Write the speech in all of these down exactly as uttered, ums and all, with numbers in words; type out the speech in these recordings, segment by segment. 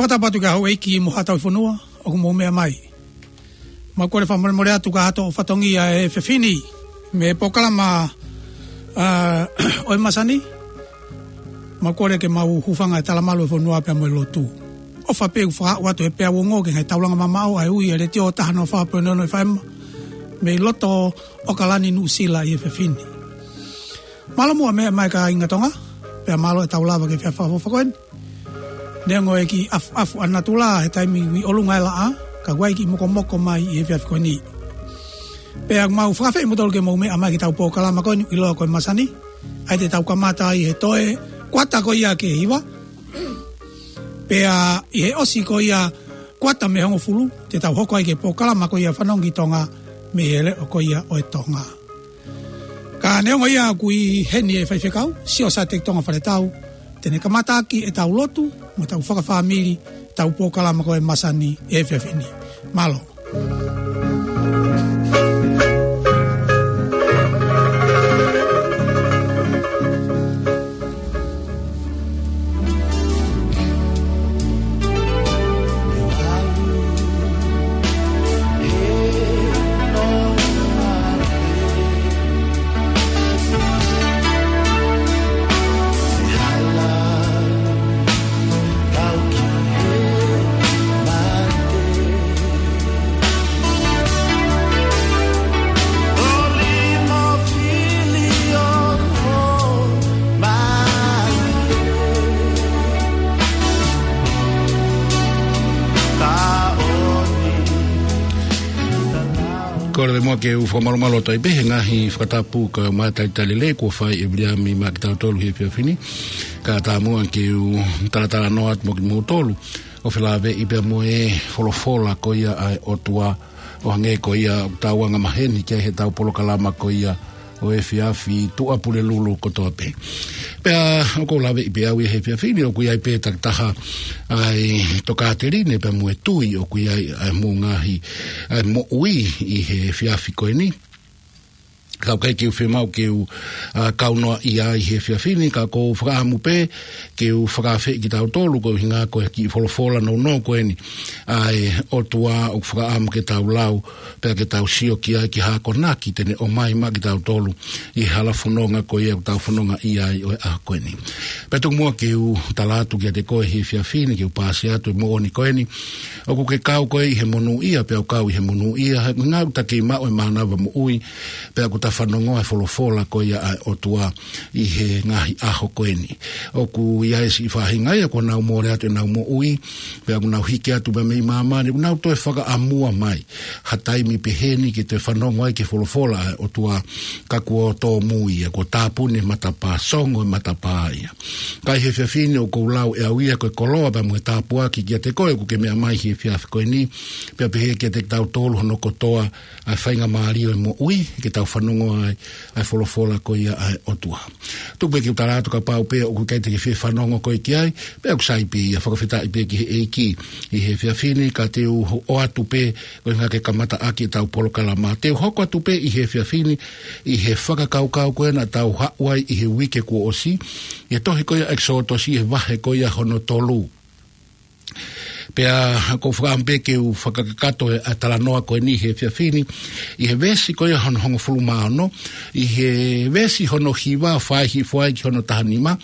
Fakatapu atu ki he houʻeiki mo haʻa tauhi fonua ʻoku mou meʻa mai. Mau kole fakamolemole atu ki ha hato ʻo fatongia he efiafi ni mei he polokalama, ā, ʻo e masani. Mau kole ke mau hūfanga he talamalu ʻo e fonua pea mo e lotu. ʻOfa pē ʻoku fakaaʻu atu he peau ongo ki he ngaahi taulanga mamaʻo ʻa e ui ʻa e Letiō taha noa fā poini ono F M mei loto ʻAokalani, Nuʻusila ʻi he efiafi ni. Mālō muʻa e meʻa mai kāinga Tonga, pea mālō e tau lava ki he efiafi fakaʻofoʻofa ko eni. Neongo e kiʻi ʻafuʻafu ʻa natula he taimi ʻi ʻolunga e laʻā, ka ʻoku ʻi ai e kiʻi mokomoko mai ʻi he efiafi ko eni. Pea mau fakaafeʻi kimoutolu ke mou meʻa mai ki heʻetau polokalama ko eni ʻoku ʻiloa ko e masani, ʻa ia te tau kamata ai he toe kuata ko ia ki he hiva. Pea ʻi he ʻosi ko ia kuata mei he hongofulu, te tau hoko ai ki he polokalama ko ia Fanongo ki Tonga mei he leʻo ko ia ʻo e Tonga. Ka neongo ia ʻoku ʻi heni e faifekau, Siosiate Tonga Faletau, te ne kamataʻaki ʻetau lotu mo ʻetau fakafāmili ʻetau polokalama ko e masani he efiafi ni. Mālō. Kole muʻa ke u fakamalumalu atu ai pē he ngaahi fakatapu kae ʻumaʻā e talitali lelei kuo fai ʻe Viliami maʻa kitautolu he efiafi ni. Kae ʻatā muʻa ke u talatalanoa atu mo kimoutolu ʻo felāveʻi pea mo e folofola ko ia ʻa e ʻOtua, ʻo hangē ko ia ʻoku tau angamaheni ki ai heʻetau polokalama ko ia ʻo e efiafi Tuʻapulelulu kotoa pē. Pea ʻoku ou lāveʻi pē au ʻi he efiafi ni ʻoku ʻi ai pē takitaha ʻa e tokāteline pea mo e tui ʻoku ʻi ai ʻa e mo ngaahi, ʻa e moʻui ʻi he efiafi ko eni. Ka ʻoku ʻikai ke u fiemaʻu ke u, ā, kaunoaʻi ia ʻi he efiafi ni, ka ʻoku ou fakaʻamu pē ke u fakaafeʻi kitautolu koeʻuhinga ko e kiʻi folofola nounou ko eni ʻa e ʻOtua ʻoku fakaʻamu ke tau lau, pea ke tau sio ki ai, ki he akonaki te ne ʻomai maʻa kitautolu ʻi he hala fononga ko ia ʻoku tau fonongaʻia ai ʻo e ʻaho ko eni. Pea tuku muʻa ke u tala atu kiate koe he efiafi ni, ke u paasi atu e moʻoni ko eni. ʻOku ke kau koe ʻi he monūʻia, pea u kau ʻi he monūʻia, he ʻoku ʻikai ke ta kei maʻu e mānava moʻui, pea ʻoku ta fanongoa e folofola ko ia ʻa e ʻOtua ʻi he ngaahi ʻaho ko eni. ʻOku ʻi ai e siʻi faʻahinga ia kuo nau mole atu ʻenau moʻui, pea ʻoku nau hiki atu mei māmani, ʻoku nau toe fakaʻamua mai ha taimi pehē ni ke toe fanongo ai ki he folofola ʻa e ʻOtua, ka kuo tōmui ia, kuo tāpuni e matapā, songo e matapā ia. Ka ʻi he efiafi ni ʻoku ou lau ʻe au ia ko e koloa pea mo e tāpuaki kiate koe ʻoku ke meʻa mai he efiafi ko eni, pea pehē kiate kitautolu hono kotoa ʻa e faingamālie ʻo e moʻui, ke tau fanongoa ai ʻa e folofola ko ia ʻa e ʻOtua. Tuku pē ke u tala atu kapau pē ʻoku ʻikai te ke fie fanongo koe ki ai, pea ʻoku sai pē ia, fakafetaʻi pē ki he ʻEiki ʻi he efiafi ni, ka te u ho-, ʻoatu pē koeʻuhinga ke kamataʻaki ʻetau polokalama. Te u hoko atu pē ʻi he efiafi ni ʻi he fakakaukau ko ē naʻa tau haʻu ai ʻi he uike kuo ʻosi, ʻi he tohi ko ia ʻEkisoto ʻi he vahe ko ia hono tolu. Pea ʻoku ou fakaʻamu pē ke u fakakakato e, ʻa e talanoa ko eni he efiafi ni, ʻi he veesi ko ia hono hongofulu mā ono, ʻi he veesi hono hiva ʻo fai hifo ai ki hono taha nima,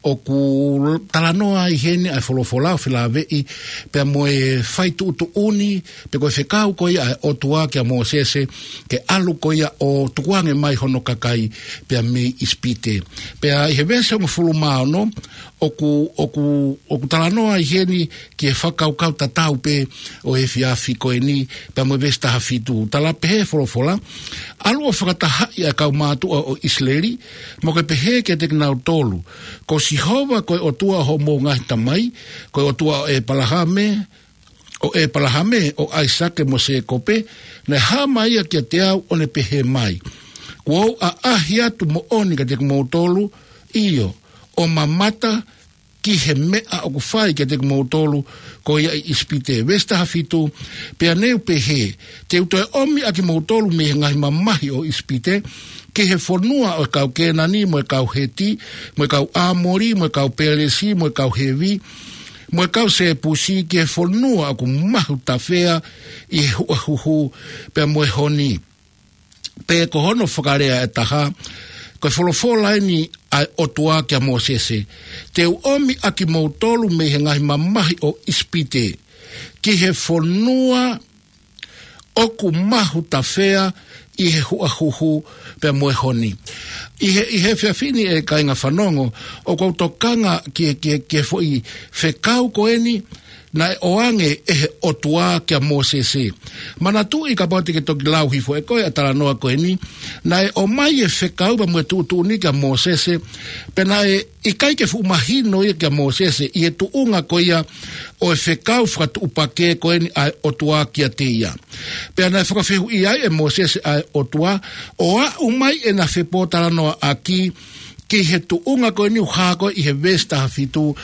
ʻoku talanoa ai heni ʻa e folofola ʻo felāveʻi pea mo e fai tuʻutuʻuni, pe ko e fekau ko ia ʻa e ʻOtua kia Mōsese, ke ʻalu ko ia ʻo tukuange mai hono kakai pea mei ʻIsipite. Pea ʻi he veesi hongofulu mā ono, ʻoku, ʻoku, ʻoku talanoa ai heni ki he fakakaukau tatau pē ʻo e efiafi ko eni, pea mo e veesi taha fitu. Tala pehē folofola, ʻAlu ʻo fakatahaʻi ʻa e kau mātuʻa ʻo ʻIsileli, mo ke pehē kiate kinautolu, Ko Sihova ko e ʻOtua ʻo hoʻomou ngaahi tamai, ko e ʻOtua ʻo ʻEpalahame, ʻo ʻEpalahame, ʻo ʻAisake mo Sēkope, naʻe hā mai ia kiate au ʻo ne pehē mai, Kuo u ʻaʻahi atu moʻoni kiate kimoutolu, ʻio, ʻo mamata ki he meʻa ʻoku fai kiate kimoutolu ko ia ʻi ʻIsipite. Veesi taha fitu, Pea ne u pehē, Te u toe ʻomi ʻa kimoutolu mei he ngaahi mamahi ʻo ʻIsipite, ki he fonua ʻo e kau Kēnani, mo e kau Heti, mo e kau ʻĀmoli, mo e kau Pelesi, mo e kau Hevi, mo e kau Sepusi ki he fonua ʻoku mahu tafea ʻi he huʻahuhu pea mo e honi. Pe ko hono fakalea ʻe taha, ko e folofola eni ʻa e ʻOtua kia Mōsese: Te u ʻomi ʻa kimoutolu mei he ngaahi mamahi ʻo ʻIsipite ki he fonua ʻoku mahu tafea ʻi he huʻahuhu pea mo e honi. ʻI he, ʻi he efiafi ni, ʻe kāinga fanongo, ʻoku ou tokanga ki he, ki he, ki he foʻi fekau ko eni naʻe ʻoange ʻe he ʻOtua kia Mōsese. Manatuʻi, kapau te ke toki lau hifo ʻe koe ʻa e talanoa ko eni, naʻe ʻomai e fekau pea mo e tuʻutuʻuni kia Mōsese, pea naʻe ʻikai ke fuʻu mahino ia kia Mōsese ʻi he tuʻunga ko ia ʻo e fekau fakatuʻupakē ko eni ʻa e ʻOtua kiate ia. Pea naʻe fakafehuʻi ai ʻe Mōsese ʻa e ʻOtua, ʻo aʻu mai ʻena fepōtalanoaʻaki ki he tuʻunga ko eni ʻoku hā ko ē ʻi he veesi taha fitu,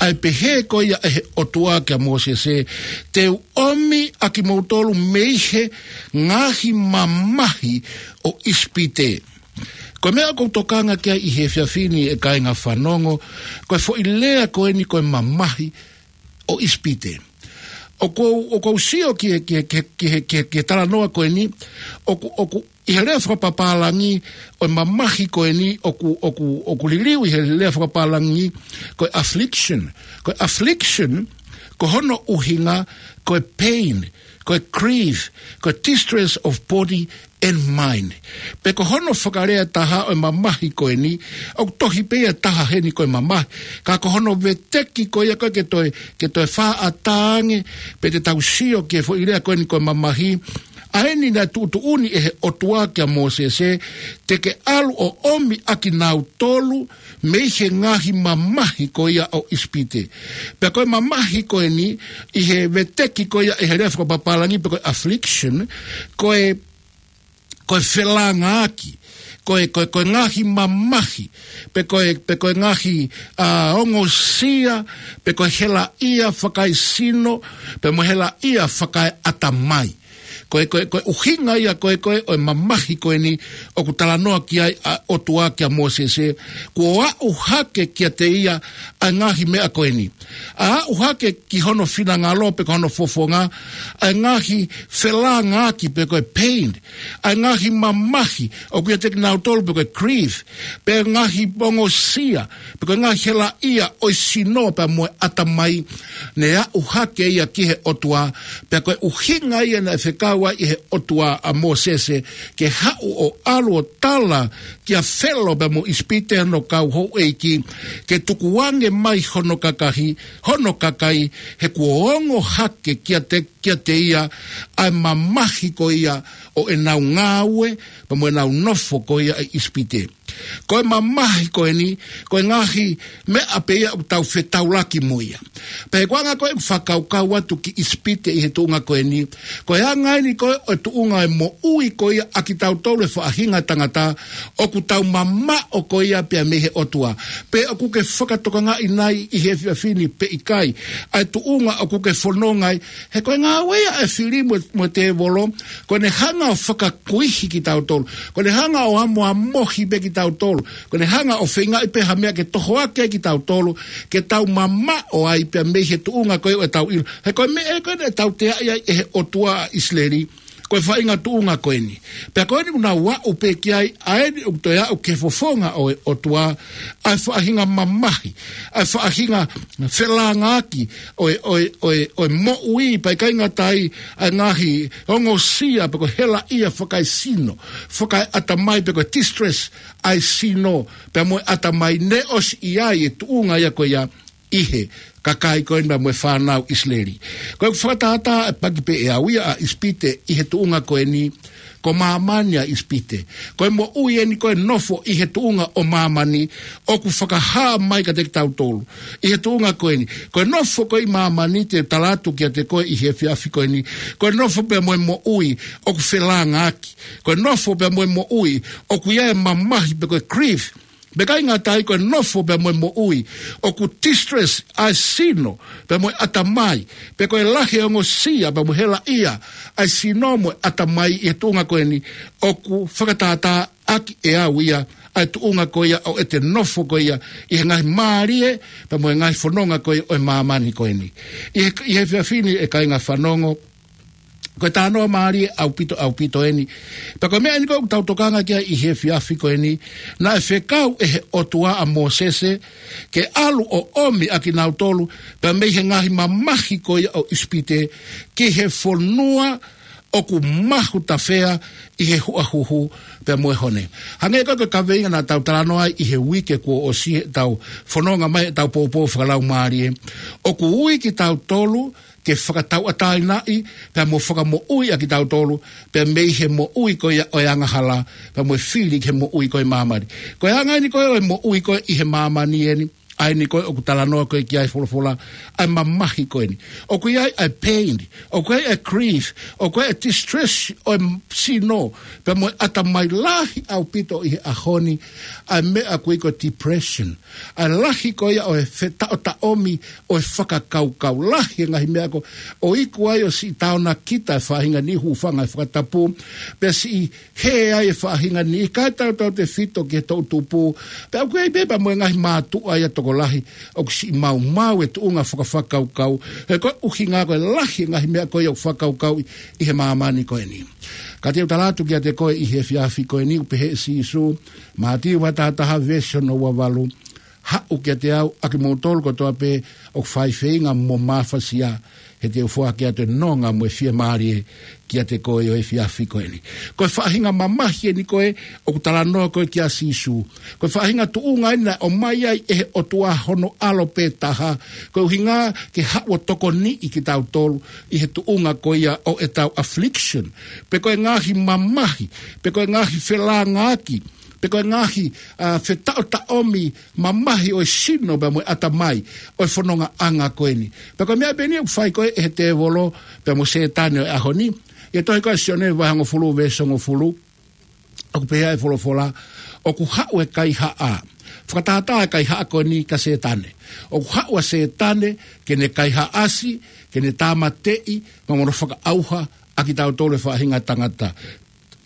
ʻa e pehē ko ia ʻe he ʻOtua kia Mōsese: Te u ʻomi ʻa kimoutolu mei he ngaahi mamahi ʻo ʻIsipite. Ko e meʻa ʻoku ou tokanga ki ai ʻi he efiafi ni, ʻe kāinga fanongo, ko e foʻi lea ko eni ko e mamahi ʻo ʻIsipite. ʻOku ou, ʻoku ou sio ki he, ki he, ki he, ki he, ki he, ki he talanoa ko eni, ʻoku, ʻoku, ʻi he lea fakapapālangi ʻo e mamahi ko eni, ʻoku, ʻoku, ʻoku liliu ʻi he lea fakapapālangi ko e affliction. Ko e affliction, ko hono ʻuhinga, ko e pain, ko e grief, ko e distress of body and mind. Pe ko hono fakalea ʻe taha ʻo e mamahi ko eni, ʻoku tohi pē ia ʻe taha heni ko e mamahi. Ka ko hono veteki ko ia ko ē ke toe, ke toe fakaʻatā ange, pe te tau sio ki he foʻi lea ko eni ko e mamahi, ʻa eni naʻe tuʻutuʻuni ʻe he ʻOtua kia Mōsese, te ke ʻalu ʻo ʻomi ʻa kinautolu mei he ngaahi mamahi ko ia ʻo ʻIsipite. Pea ko e mamahi ko eni, ʻi he veteki ko ia ʻe he lea fakapapālangi pe ko e affliction, ko e, ko e felāngaaki, ko e, ko e, ko e ngaahi mamahi, pe ko e, pe ko e ngaahi, ā, ongosia, pe ko e helaʻia fakaesino, pea mo e helaʻia fakaeʻatamai. Ko e, ko e, ko e ʻuhinga ia ko ē, ko ē ʻo e mamahi ko eni ʻoku talanoa ki ai ʻa e ʻOtua kia Mōsese, kuo aʻu hake kiate ia ʻa e ngaahi meʻa ko eni. ʻA aʻu hake ki hono finangalo pe ko hono fofonga, ʻa e ngaahi felāngaaki pe ko e pain, ʻa e ngaahi mamahi ʻoku ʻiate kinautolu pe ko e grief, pe ngaahi ongosia, pe ko e ngaahi helaʻia ʻo e sino pea mo e ʻatamai, naʻe aʻu hake ia ki he ʻOtua, pea ko e ʻuhinga ia naʻe fekau ai ʻe he ʻOtua ʻa Mōsese ke haʻu ʻo ʻalu ʻo tala kia Felo pea mo ʻIsipite hono kau houʻeiki, ke tukuange mai hono kakahi, hono kakai, he kuo ongo hake kiate, kiate ia ʻa e mamahi ko ia ʻo ʻenau ngāue, pea mo ʻenau nofo ko ia ʻi ʻIsipite. Ko e mamahi ko eni, ko e ngaahi meʻa pē ia ʻoku tau fetaulaki mo ia. Pea ko e anga ko ē ʻeku fakakaukau atu ki ʻIsipite ʻi he tuʻunga ko eni, ko e anga eni ko ē ʻo e tuʻunga ʻo e moʻui ko ia ʻa kitautolu e faʻahinga tangata, ʻoku tau mamaʻo ko ia pea mei he ʻOtua. Pe ʻoku ke fakatokangaʻi nai ʻi he efiafi ni pe ʻikai, ʻa e tuʻunga ʻoku ke fononga ai, he ko e ngāue ia ʻa e fili mo, mo e tēvolo, ko ʻene hanga ʻo fakakuihi kitautolu. Ko ʻene hanga ʻo amoamohi pē kitautolu. Ko ʻene hanga ʻo feingaʻi pē ha meʻa ke tohoakiʻi kitautolu, ke tau mamaʻo ai pea mei he tuʻunga ko ē ʻo ʻetau ʻilo. He ko e meʻa ē ko ē naʻe tauteaʻi ai ʻe he ʻOtua ʻa ʻIsileli, ko e faʻahinga tuʻunga ko eni. Pea ko eni ʻoku nau aʻu pē ki ai, ʻa eni ʻoku toe aʻu ki he fofonga ʻo e ʻOtua, ʻa e faʻahinga mamahi, ʻa e faʻahinga felāngaaki ʻo e, ʻo e, ʻo e, ʻo e moʻui, pea ʻikai ngata ai, ʻa e ngaahi ongosia pe ko e helaʻia fakaesino, fakaeʻatamai pe ko e distress ʻa e sino pea mo e ʻatamai, naʻe ʻosi ʻi ai e tuʻunga ia ko ia ʻi he kakai ko eni pea mo e fānau ʻIsileli. Ko ʻeku fakatātā, ʻe paki pē ʻe au ia ʻa ʻIsipite ʻi he tuʻunga ko eni, ko māmani ʻa ʻIsipite. Ko e moʻui eni ko e nofo ʻi he tuʻunga ʻo māmani, ʻoku fakahā mai kiate kitautolu ʻi he tuʻunga ko eni. Ko e nofo ko ē ʻi māmani, te u tala atu kiate koe ʻi he efiafi ko eni, ko e nofo pea mo e moʻui ʻoku felāngaaki. Ko e nofo pea mo e moʻui ʻoku ʻi ai e mamahi pe ko e grief, Pea ʻikai ngata ai, ko e nofo pea mo e moʻui, ʻoku distress ʻa e sino pea mo e ʻatamai, pea ko e lahi e ongosia pea mo e helaʻia ʻa e sino mo e ʻatamai ʻi he tuʻunga ko eni, ʻoku fakatātā ʻaki ʻe au ia ʻa e tuʻunga ko ia ʻo ʻete nofo ko ia ʻi he ngaahi mālie pea mo e ngaahi fononga ko ia ʻo e māmani ko eni. ʻI he, ʻi he efiafi ni, ʻe kāinga fanongo, ko e talanoa mālie ʻaupito, ʻaupito eni. Pea ko e meʻa eni ko ē ʻoku tau tokanga ki ai ʻi he efiafi ko eni, naʻe fekau ʻe he ʻOtua ʻa Mōsese ke ʻalu ʻo ʻomi ʻa kinautolu pea mei he ngaahi mamahi ko ia ʻo ʻIsipite ki he fonua ʻoku mahu tafea ʻi he huʻahuhu pea mo e honi. Hangē ko e kaveinga naʻa tau talanoa ai ʻi he uike kuo ʻosi heʻetau fononga mai heʻetau poupou fakalaumālie, ʻoku ui kitautolu ke fakatauʻatāinaʻi pea mo fakamoʻui ʻa kitautolu pea mei he moʻui ko ia ʻo e angahala pea mo e fili ki he moʻui ko ē māmani. Ko e anga eni ko ē ʻo e moʻui ko ē ʻi he māmani eni, ʻa eni ko ē ʻoku talanoa ko ē ki ai e folofola, ʻa e mamahi ko eni. ʻOku ʻi ai ʻa e pain, ʻoku ʻi ai ʻa e grief, ʻoku ʻi ai ʻa e distress ʻo e sino pea mo e ʻatamai, lahi ʻaupito ʻi he ʻaho ni ʻa e meʻa ʻoku ui ko e depression. ʻA e lahi ko ia ʻo e fetaʻotaʻomi ʻo e fakakaukau, lahi e ngaahi meʻa ko ē ʻoku ʻikai ʻosi taonakita e faʻahinga ni, hūfanga he fakatapu, pea siʻi hē ai e faʻahinga ni, ʻikai tautautefito ki he toʻutupu, pea ʻoku ʻi ai pē pea mo e ngaahi mātuʻa ia tokolahi ʻoku siʻi maumau e tuʻunga fakafakakaukau, he ko e ʻuhinga ko e lahi e ngaahi meʻa ko ia ʻoku fakakaukauʻi ʻi he māmani ko eni. Ka te u tala atu kiate koe ʻi he efiafi ko eni, ʻoku pehē ʻe Sīsū, Mātiu vahe taha taha veesi hono ua valu, Haʻu kiate au ʻa kimoutolu kotoa pē ʻoku fai feinga mo mafasia, he te u foaki atu e nonga mo e fiemālie kiate koe ʻi he efiafi ko eni. Ko e faʻahinga mamahi eni ko ē ʻoku talanoa ko ē ki ai ʻa Sīsū. Ko e faʻahinga tuʻunga eni naʻe ʻomai ai ʻe he ʻOtua hono ʻAlo pē taha, ko e ʻuhinga ke haʻu ʻo tokoniʻi kitautolu ʻi he tuʻunga ko ia ʻo ʻetau affliction, pe ko e ngaahi mamahi, pe ko e ngaahi felāngaaki, pe ko e ngaahi, ʻa, fetaʻotaʻomi mamahi ʻo e sino pea mo e ʻatamai ʻo e fonongaʻanga ko eni. Pea ko e meʻa pē eni ʻoku fai ko ē ʻe he tēvolo pea mo Sētane ʻo e ʻaho ni. ʻI he tohi ko ē ʻa Sione vahe hongofulu veesi hongofulu, ʻoku pehē ʻe he folofola, ʻoku haʻu e kaihaʻa. Fakatātā e kaihaʻa ko eni kia Sētane. ʻOku haʻu ʻa Sētane ke ne kaihaʻasi, ke ne tāmateʻi, pea mo hono fakaʻauha ʻa kitautolu e faʻahinga tangata.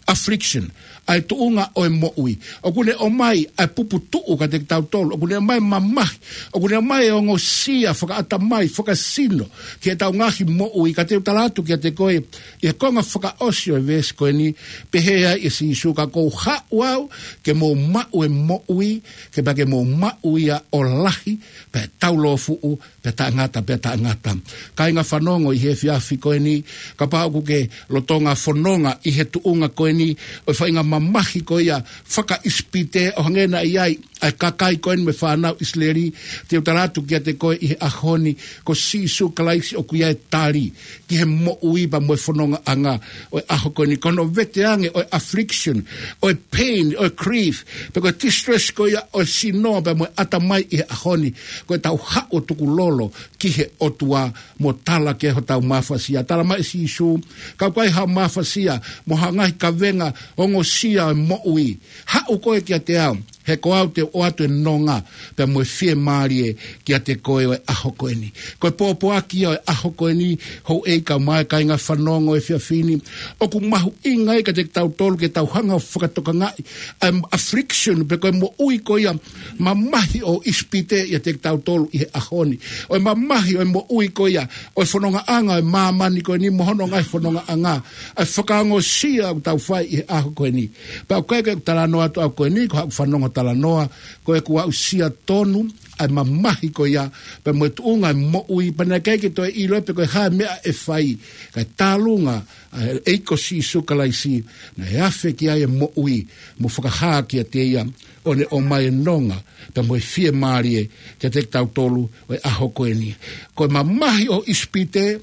Affliction, ʻa e tuʻunga ʻo e moʻui. ʻOku ne ʻomai ʻa e puputuʻu kiate kitautolu. ʻOku ne ʻomai e mamahi. ʻOku ne ʻomai e ongosia fakaʻatamai, fakasino, ki heʻetau ngaahi moʻui. Ka te u tala atu kiate koe, ʻi he konga fakaʻosi ʻo e veesi ko eni, pehē ai ʻe Sīsū, Ka ʻoku ou haʻu au ke mou maʻu e moʻui, ke pea ke mou maʻu ia ʻo lahi, pea taulōfuʻu, pea taʻengata, pea taʻengata. Kāinga fanongo ʻi he efiafi ko eni, kapau ʻoku ke lolotonga fononga ʻi he tuʻunga ko eni ʻo e faʻahinga mamahi ko ia fakaʻIsipite, ʻo hangē naʻe ʻi ai ʻa e kakai ko eni mo e fānau ʻIsileli, te u tala atu kiate koe ʻi he ʻaho ni, ko Sīsū Kalaisi ʻoku ʻi ai e tali ki he moʻui pea mo e fonongaʻanga ʻo e ʻaho ko eni. Ko hono veteange ʻo e affliction, ʻo e pain, ʻo e grief, pe ko e distress ko ia ʻo e sino pea mo e ʻatamai ʻi he ʻaho ni, ko ʻetau haʻu ʻo tukulolo ki he ʻOtua mo tala ki ai hotau mafasia. Tala mai ʻe Sīsū, Ka ʻoku ʻikai haʻo mafasia mo ha ngaahi kavenga ongosia ʻo e moʻui, haʻu koe kiate au, he ko au te u ʻoatu e nonga pea mo e fiemālie kiate koe ʻo e ʻaho ko eni. Ko e pōpoaki ia ʻo e ʻaho ko eni, houʻeiki kaeʻumaʻā e kāinga fanongo he efiafi ni, ʻoku mahuʻinga ai kiate kitautolu ke tau hanga ʻo fakatokangaʻi ʻa e affliction, pe ko e moʻui ko ia mamahi ʻo ʻIsipite ʻiate kitautolu ʻi he ʻaho ni. ʻO e mamahi ʻo e moʻui ko ia ʻo e fonongaʻanga ʻo e māmani ko eni mo hono ngaahi fonongaʻanga, ʻa e fakaongosia ʻoku tau fai ʻi he ʻaho ko eni. Pea ʻoku ʻikai ke u talanoa atu au ko eni, ko haʻaku fanongo talanoa, ko ʻeku aʻusia tonu ʻa e mamahi ko ia pea mo e tuʻunga ʻo e moʻui, pea naʻe ʻikai ke toe ʻilo pe ko e hā e meʻa ʻe fai, kae tālunga ʻa e ʻEiki ko Sīsū Kalaisi, naʻe afe ki ai e moʻui mo fakahā kiate ia, ʻo ne ʻomai e nonga pea mo e fiemālie kiate kitautolu ʻo e ʻaho ko eni. Ko e mamahi ʻo ʻIsipite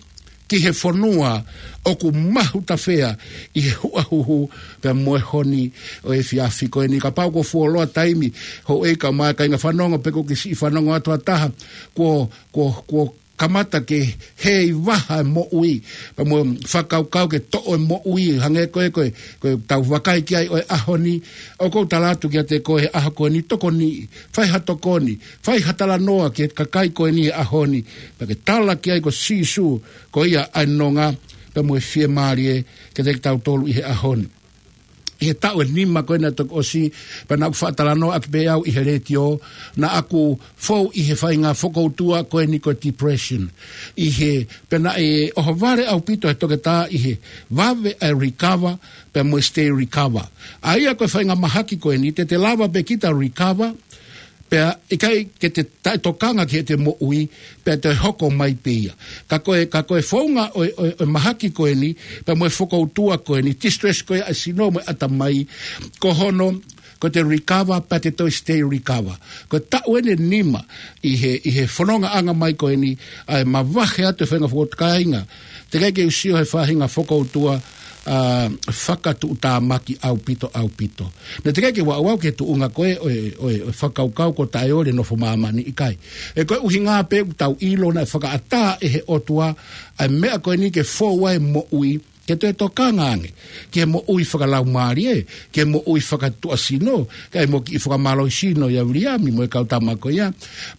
ki he fonua ʻoku mahu tafea ʻi he huʻahuhu pea mo e honi ʻo e efiafi ko eni. Kapau kuo fuoloa taimi, houʻeiki kaeʻumaʻā e kāinga fanongo, pe kuo ke siʻi fanongo atu ha taha, kuo, kuo, kuo kamata ke heivaha e moʻui, pea mo e fakakaukau ke toʻo e moʻui, hangē ko e, ko e, ko e tau vakai ki ai ʻo e ʻaho ni, ʻoku ou tala atu kiate koe he ʻaho ko eni, tokoni, fai ha tokoni, fai ha talanoa ki he kakai ko eni he ʻaho ni, pea ke tala ki ai ko Sīsū, ko ia ʻa e nonga, pea mo e fiemālie, kiate kitautolu ʻi he ʻaho ni. ʻI he taʻu ʻe nima ko ē naʻe toki ʻosi, pea naʻá ku faʻa talanoa ʻaki pē au ʻi he letiō, naʻá ku fou ʻi he faʻahinga fokoutua ko eni ko e depression. ʻI he, pea naʻe ʻohovale ʻaupito he toketā ʻi he vave ʻa e recover, pea mo e stay recover. ʻA ia ko e faʻahinga mahaki ko eni, te te lava pē kita recover, pea ʻikai ke te taʻetokanga ki heʻete moʻui, pea te hoko mai pē ia. Ka ko e, ka ko e founga ʻo e, ʻo e, ʻo e mahaki ko eni, pea mo e fokoutua ko eni, distress ko ia ʻa e sino mo e ʻatamai, ko hono, ko ʻete recover, pea te toe stay recover. Ko e taʻu ʻeni ʻe nima, ʻi he, ʻi he fonongaʻanga mai ko eni, ʻa e mavahe atu e faʻahinga fokoutua kāinga. Teʻeki ke u sio he faʻahinga fokoutua, ʻa, fakatuʻutāmaki ʻaupito, ʻaupito. Naʻe teʻeki ke u aʻu au ki he tuʻunga ko ē, ʻo e, ʻo e, ʻo e fakakaukau ko e taʻeoli e nofo māmani, ʻikai. He ko e ʻuhinga pē ʻoku tau ʻilo naʻe fakaʻatā ʻe he ʻOtua, ʻa e meʻa ko eni ke fou ai e moʻui, ke toe tokanga ange, ki he moʻui fakalaumālie, ki he moʻui fakatuʻasino, kae ʻumaʻā e kiʻi fakamālohisino ʻia Viliami mo e kau tama ko ia.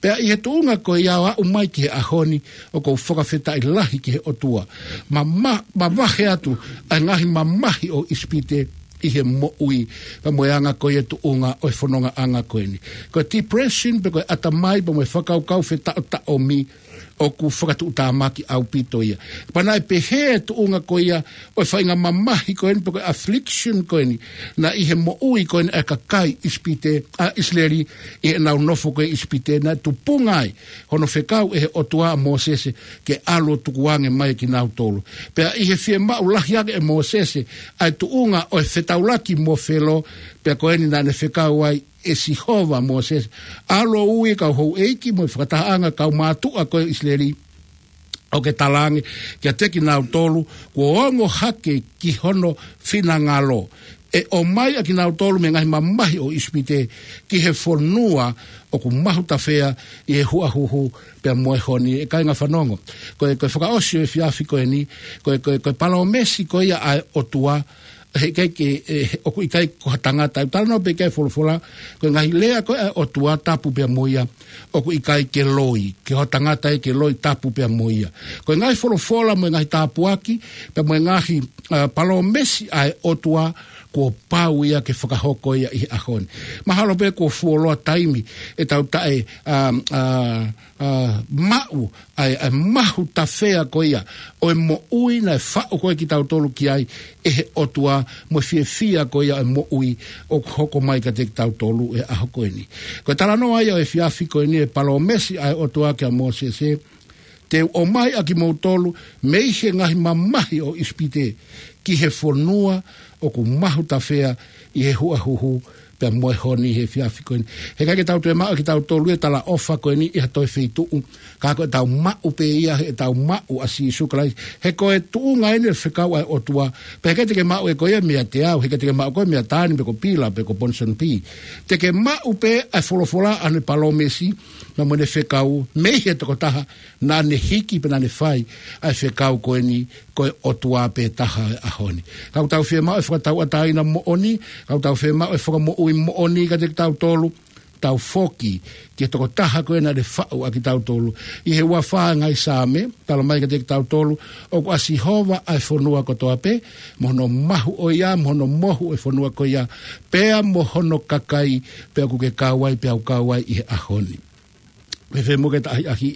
Pea ʻi he tuʻunga ko ia ʻo aʻu mai ki he ʻaho ni, ʻoku ou fakafetaʻi lahi ki he ʻOtua. Ma, ma, mavahe atu ʻa e ngaahi mamahi ʻo ʻIsipite ʻi he moʻui, pea mo e anga ko ia e tuʻunga ʻo e fonongaʻanga ko eni. Ko e depression pea ko e ʻatamai pea mo e fakakaukau fetaʻotaʻomi ʻoku fakatuʻutāmaki ʻaupito ia. Pea naʻe pehē e tuʻunga ko ia ʻo e faʻahinga mamahi ko eni pea ko e affliction ko eni, naʻe ʻi he moʻui ko eni ʻa e kakai ʻIsipite, ʻa ʻIsileli, ʻi heʻenau nofo ko ē ʻIsipite, naʻe tupunga ai hono fekau ʻe he ʻOtua ʻa Mōsese ke ʻalu ʻo tukuange mai kinautolu. Pea ʻi he fiemaʻu lahi ange ʻe Mōsese ʻa e tuʻunga ʻo e fetaulaki mo Felo, pea ko eni naʻá ne fekau ai ʻe Sihova Mōsese, ʻalu ʻo ui e kau houʻeiki mo e fakatahaʻanga kaumātuʻa ko ē ʻIsileli, ʻo ke talaange kiate kinautolu, kuo ongo hake ki hono finangalo, ʻe ʻomai ʻa kinautolu mei he ngaahi mamahi ʻo ʻIsipite ki he fonua ʻoku mahutafea ʻi he huʻahuhu pea mo e honi. ʻE kāinga fanongo, ko e, ko e fakaʻosi ʻo e efiafi ko eni, ko e, ko e, ko e palōmesi ko ia ʻa e ʻOtua, he ʻikai ke, ʻe, ʻoku ʻikai ko ha tangata, ʻe talanoa pē ki ai e folofola, ko e ngaahi lea ko ē ʻa e ʻOtua tapu pea mo ia, ʻoku ʻikai ke loi, ke ho tangata ʻe ke loi, tapu pea mo ia. Ko e ngaahi folofola mo e ngaahi tāpuaki, pea mo e ngaahi, ʻa, palōmesi ʻa e ʻOtua, kuo pau ia ke fakahoko ia ʻi he ʻaho ni. Mahalo pē kuo fuoloa taimi ʻetau taʻe, ʻa, ʻa, ʻa, maʻu ʻa e, ʻa e mahutafea ko ia ʻo e moʻui naʻe faʻu ko ē kitautolu ki ai ʻe he ʻOtua, mo e fiefia ko ia ʻo e moʻui ʻoku hoko mai kiate kitautolu he ʻaho ko eni. Ko e talanoa ia ʻo e efiafi ko eni, e palōmesi ʻa e ʻOtua kia Mōsese, te u ʻomai ʻa kimoutolu mei he ngaahi mamahi ʻo ʻIsipite ki he fonua ʻoku mahutafea ʻi he huʻahuhu pea mo e honi he efiafi ko eni. He ʻikai ke tau toe maʻu ʻe kitautolu e talaʻofa ko eni ʻi ha toe feituʻu, ka ko ʻetau maʻu pē ia heʻetau maʻu ʻa Sīsū Kalaisi. He ko e tuʻunga eni e fekau ʻa e ʻOtua, pea he ʻikai te ke maʻu ʻe koe ia meiate au, he ʻikai te ke maʻu ʻe koe meiate Tani pe ko Pila pe ko Ponsoni Pī. Te ke maʻu pē ʻa e folofola ʻa ʻene palōmesi, naʻa mo ʻene fekau, mei he tokotaha naʻá ne hiki pea naʻá ne fai ʻa e fekau ko eni, ko e ʻOtua pē taha he ʻaho ni. Ka ʻoku tau fiemaʻu e fakatauʻatāina moʻoni, ka ʻoku tau fiemaʻu e fakamoʻui moʻoni kiate kitautolu, tau foki ki he tokotaha ko ē naʻá ne faʻu ʻa kitautolu. ʻI he uafā e ngaahi Saame, talamai kiate kitautolu, ʻoku ʻa Sihova ʻa e fonua kotoa pē, mo hono mahu ʻo ia, mo hono mohu e fonua ko ia, pea mo hono kakai, pea ʻoku ke kau ai, pea u kau ai ʻi he ʻaho ni. Fēfē muʻa ke ta ʻahiʻahi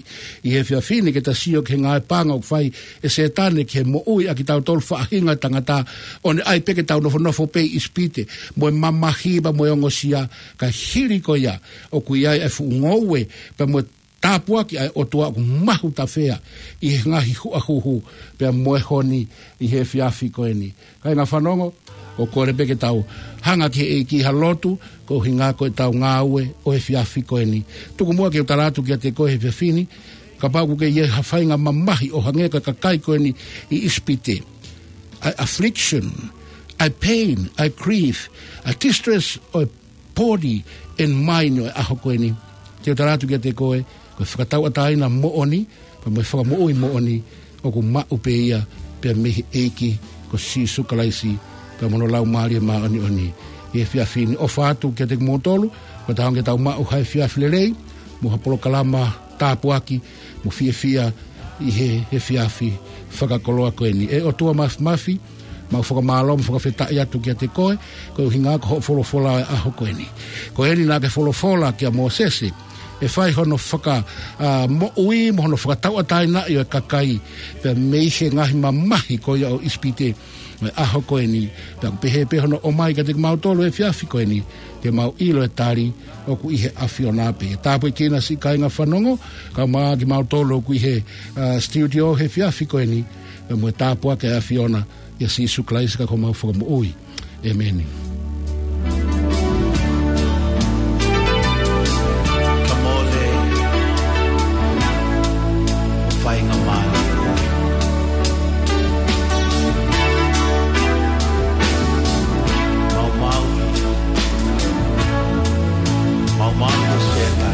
ʻi he efiafi ni ke ta sio ki he ngāue paʻanga ʻoku fai ʻe Sētane ki he moʻui ʻa kitautolu faʻahinga tangata, ʻo ne ʻai pē ke tau nofonofo pē ʻi ʻIsipite, mo e mamahi pea mo e ongosia, ka hili ko ia, ʻoku ʻi ai e fuʻu ngoue, pea mo e tāpuaki ʻa e ʻOtua ʻoku mahutafea ʻi he ngaahi huʻahuhu, pea mo e honi ʻi he efiafi ko eni. Kāinga fanongo, ʻoku ou kole pē ke tau hanga ki he ʻEiki ha lotu, ko e ʻuhinga ko ʻetau ngāue ʻo e efiafi ko eni. Tuku muʻa ke u tala atu kiate koe he efiafi ni, kapau ʻoku ke ʻi ai ha faʻahinga mamahi ʻo hangē ko e kakai ko eni ʻi ʻIsipite. ʻA e affliction, ʻa e pain, ʻa e grief, ʻa e distress ʻo e body and mind ʻo e ʻaho ko eni. Te u tala atu kiate koe, ko e fakatauʻatāina moʻoni, pea mo e fakamoʻui moʻoni ʻoku maʻu pē ia pea mei he ʻEiki ko Sīsū Kalaisi, pea mo hono Laumālie Māʻoniʻoni. ʻI he efiafi ni ʻofa atu kiate kimoutolu, ko e tau ke tau maʻu ha efiafi lelei, mo ha polokalama tāpuaki, mo fiefia ʻi he, he efiafi fakakoloa ko eni. ʻE ʻOtua Mafimafi, mau fakamālō mo fakafetaʻi atu kiate koe, ko e ʻuhinga ko hoʻo folofola ʻo e ʻaho ko eni. Ko eni naʻa ke folofola kia Mōsese, ʻe fai hono faka, ʻa, moʻui mo hono fakatauʻatāinaʻi ʻo e kakai, pea mei he ngaahi mamahi ko ia ʻo ʻIsipite, ʻo e ʻaho ko eni, pea ʻoku pehē pē hono ʻomai kiate kimautolu he efiafi ko eni, ke mau ʻilo e tali ʻoku ʻi he ʻAfiona pē. Tāpuekina siʻi kāinga fanongo, kae ʻumaʻā kimautolu ʻoku ʻi he, ʻa, studio he efiafi ko eni, pea mo e tāpuaki ʻa e ʻAfiona, ʻia Sīsū Kalaisi ko homau Fakamoʻui. ʻĒmeni. Ka mole, ʻo faingamālie. Maumau, maumau ʻo seta.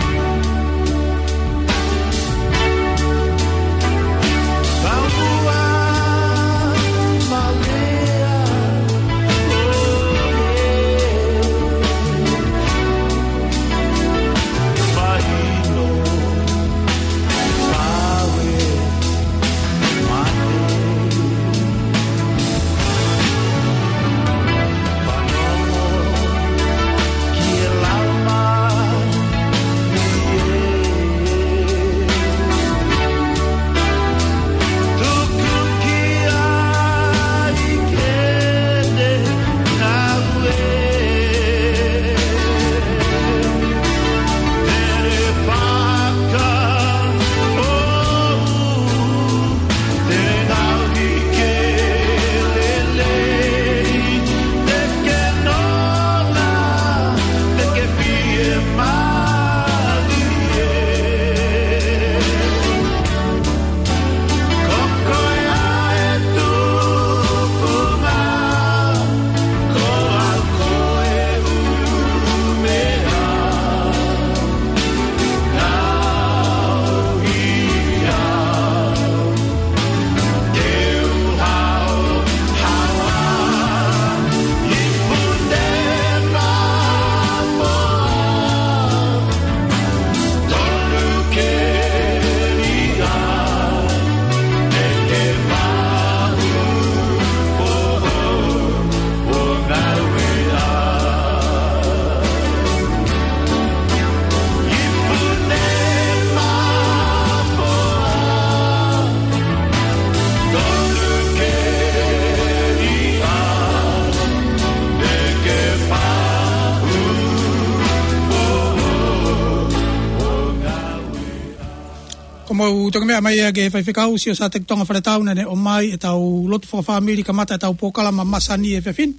Ko mau toki meʻa mai ia ki he faifekau, Siosiua Sāteki Tonga Faletau, naʻa ne ʻomai ʻetau lotu fakafāmili kamata ʻetau polokalama masani he efiafi ni.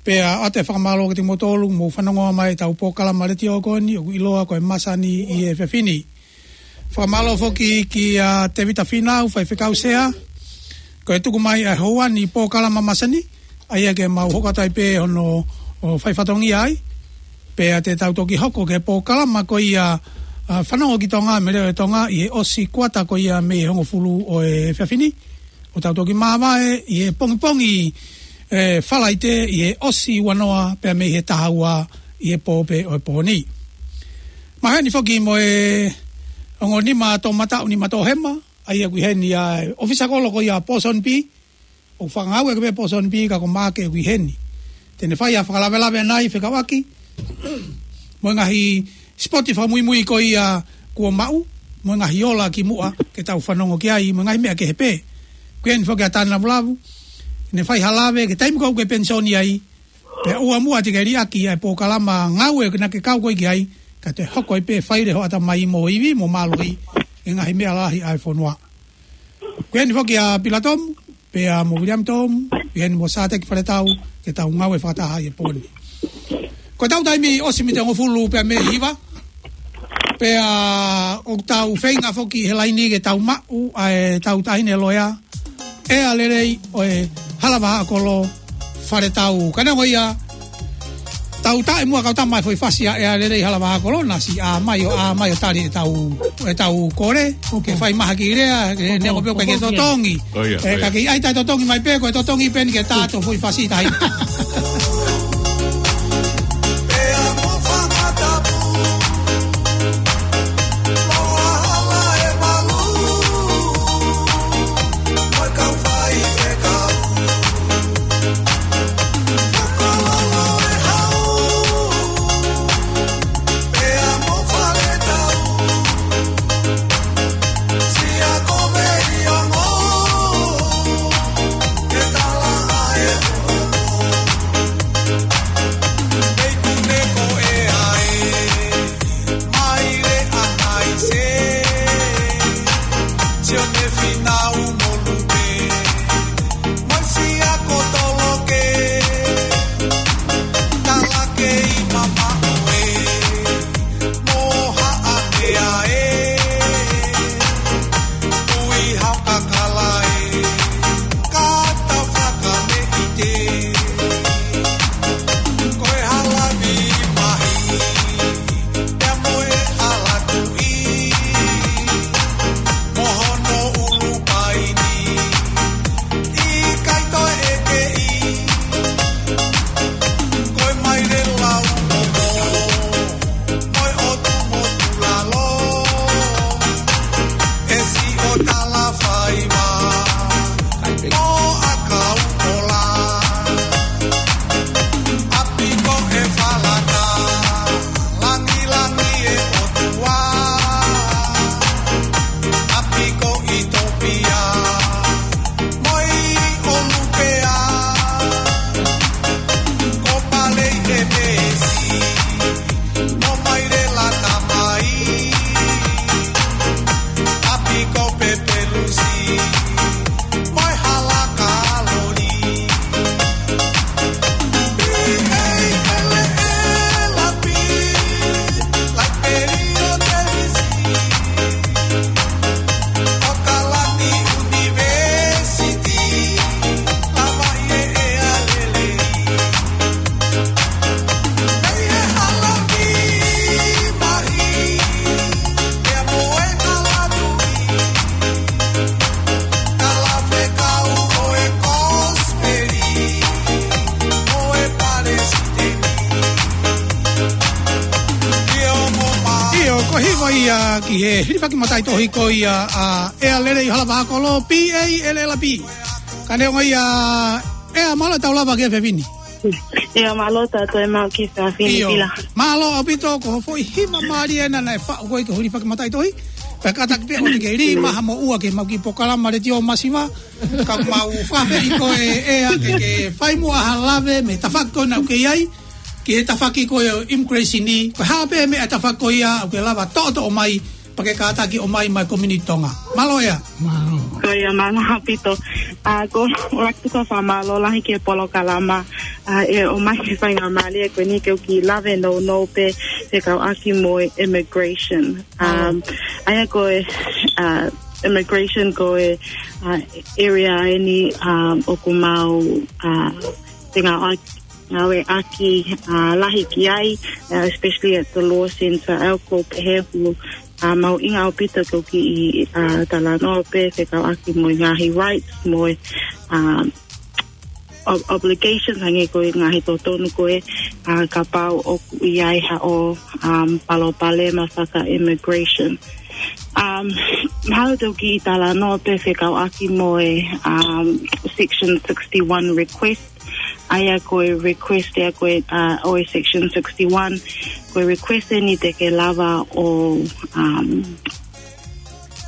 Pea ʻoatu e fakamālō kiate kimoutolu, mou fanongo mai ʻetau polokalama letiō ko eni, ʻoku ʻiloa ko e Masani he Efiafi Ni. Fakamālō foki kia Tēvita Fīnau, faifekau sea, ko e tuku mai ʻa e houa ni polokalama masani, ʻa ia ke mau hoko atu ai pē hono, ʻo fai fatongia ai, pea te tau toki hoko ki he polokalama ko ia, ʻa, Fanongo ki Tonga, mei he Leʻo ʻo Tonga, ʻi he ʻosi kuata ko ia mei he hongofulu ʻo e efiafi ni. ʻO tau toki māvae ʻi he pongipongi, ʻe, Falaite ʻi he ʻosi ua noa pea mei he taha ua ʻi he pō pē ʻo e pō ni. Maheni foki mo e ongo nima tō mataʻu nima tō hema, ʻa ia ʻoku ʻi heni ʻa e ʻofisa kolo ko ia Pōsoni Pī, ʻoku fakangāueʻaki pē Pōsoni Pī ka ko Maake ʻoku ʻi heni. Te ne fai ha fakalavelave ʻanai fekauʻaki mo e ngaahi sipoti fakamuimui ko ia kuo maʻu, mo e ngaahi ola kimuʻa ke tau fanongo ki ai, mo e ngaahi meʻa kehe pē. ʻOku ʻi heni foki ʻa Tana Vulavu, ne fai ha lave ki he taimi ko ē ʻoku ke penisoni ai, pea ʻoua muʻa te ke liʻaki ʻa e polokalama ngāue naʻa ke kau ko ē ki ai, ka te hoko ai pē fai leva hoʻo ʻatamai mo ivi mo mālohi ki he ngaahi meʻa lahi ʻa e fonua. ʻOku ʻi heni foki ʻa Pila Tomu, pea mo Viliami Tomu, ʻi heni mo Sāteki Faletau, ke tau ngāue fakataha ʻi he pō ni. Ko ʻetau taimi ʻosi mita hongofulu pea mei he hiva, pea ʻoku tau feinga foki he laini ke tau maʻu ʻa ʻetau taʻahine loea, ʻEa Lelei ʻo e Hala Vahaʻakolo Faletau. Ka neongo ia, Tau taʻe muʻa kau tama e foʻi fasi ʻa ʻEa Lelei Halavakolo, naʻe siʻi ʻā mai ʻo, ʻā mai ʻo tali ʻetau, ʻetau kole. Ke fai mahaki lea, ke ne ko pio ke totongi. Oh, yeah, oh, yeah. Ka ke ʻai taʻe totongi mai pē, ko e totongi pē eni ke tā to foʻi fasi tahi. ʻIo, ko e hiva ia ki he hilifaki mataʻitohi ko ia ʻa ʻEa Lelei Halavakolo, P A L L P. Ka neongo ia, ʻEa, mālō e tau lava ki he fefine. ʻIo, mālō tautolu e maʻu ki he fefine. ʻIo, pila. Mālō ʻaupito, ko e foʻi hiva mālie ena naʻe faʻu ko ē ki he hilifaki mataʻitohi. Pea kātaki pē ʻoua te ke lī maha mo ua ke mau ki he polokalama letiō masiva. Ka mau fafeʻi koe ʻEa ke, ke fai muʻa ha lave mei he tafaʻaki ko ena ʻoku ke ʻi ai, ki he tafaʻaki ko ē ʻo e immigration ni, ko e hā pē meʻa tafaʻaki ko ia ʻoku ke lava toʻotoʻo mai, pea ke kātaki ʻomai maʻa e community Tonga. Mālō ʻEa. Mālō. Ko ia, mālō ʻaupito. ʻA, ko ʻeku ʻoatu ʻa e fakamālō lahi ki he polokalama, ʻa, ʻe ʻomai ki he faingamālie ko eni ke u kiʻi lave nounou pē fekauʻaki mo e immigration. Um, ʻa ia ko e, ʻa, immigration ko e, ʻa, area eni, um, ʻoku mau, ʻa, fengāueʻaki, ngāueʻaki, ʻa, lahi ki ai, ʻa, especially at the law centre, ʻa ia ko e pehē ʻoku, ʻa, mahuʻinga ʻaupito ke u kiʻi, ʻa, talanoa pē fekauʻaki mo e ngaahi rights, mo e, um, ob-, obligations hangē ko e ngaahi totonu ko ē, ʻa, kapau ʻoku ʻi ai haʻo, um, palopalema faka-immigration. Um, haʻu atu ke u kiʻi talanoa pē fekauʻaki mo e, um, Section sixty-one request. ʻA ia ko e request ia ko ē, ʻa, ʻo e Section sixty-one, ko e request eni te ke lava ʻo, um,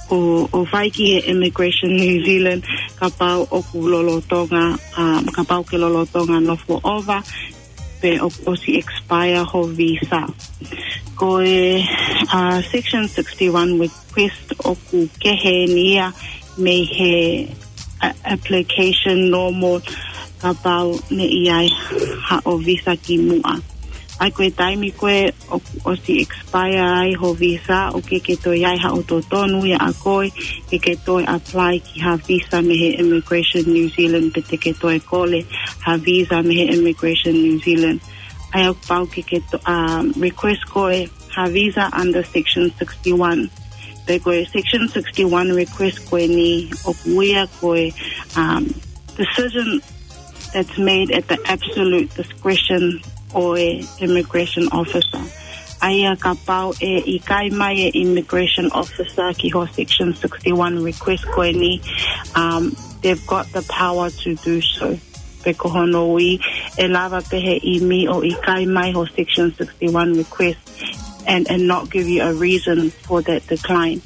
ʻo, ʻo fai ki he Immigration New Zealand, kapau ʻoku lolotonga, um, kapau ke lolotonga nofo ʻova, pe ʻoku ʻosi expire ho visa. Ko e, uh, Section sixty-one request ʻoku kehe eni ia mei he, uh, application normal kapau naʻe ʻi ai haʻo visa kimuʻa. ʻA ia ko e taimi ko ē ʻoku ʻosi expire ai ho visa, ʻoku ʻikai ke toe ʻi ai haʻo totonu ia ʻa koe ke ke toe apply ki ha visa mei he Immigration New Zealand, pe te ke toe kole ha visa mei he Immigration New Zealand. ʻa ia ʻoku pau ke ke to-, um, request koe ha visa under Section sixty-one. Pea ko e Section sixty-one request ko eni ʻoku ui ia ko e, um, decision that's made at the absolute discretion ʻo e immigration officer. ʻA ia kapau ʻe ʻikai mai e immigration officer ki ho Section sixty-one request ko eni, um, they've got the power to do so. Pea ko hono ui, ʻe lava pē he ʻimi ʻo ʻikai mai ho Section sixty-one request and, and not give you a reason for that decline.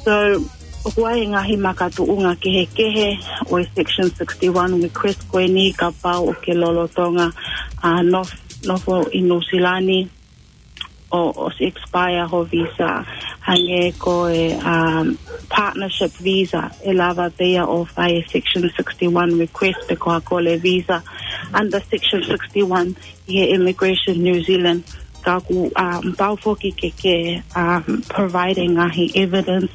So, ʻoku ʻi ai e ngaahi makatuʻunga kehekehe ʻo e Section sixty-one request ko eni kapau ʻoku ke lolotonga, uh, nof-, nofo ʻi Nuʻusila ni ʻo, ʻosi expire ho visa, hangē ko e, um, partnership visa, ʻe lava pē ia ʻo fai e Section sixty-one request pe ko ha kole visa under Section sixty-one ʻi he Immigration New Zealand. Ka ʻoku, um, pau foki ke ke, um, provide e ngaahi evidence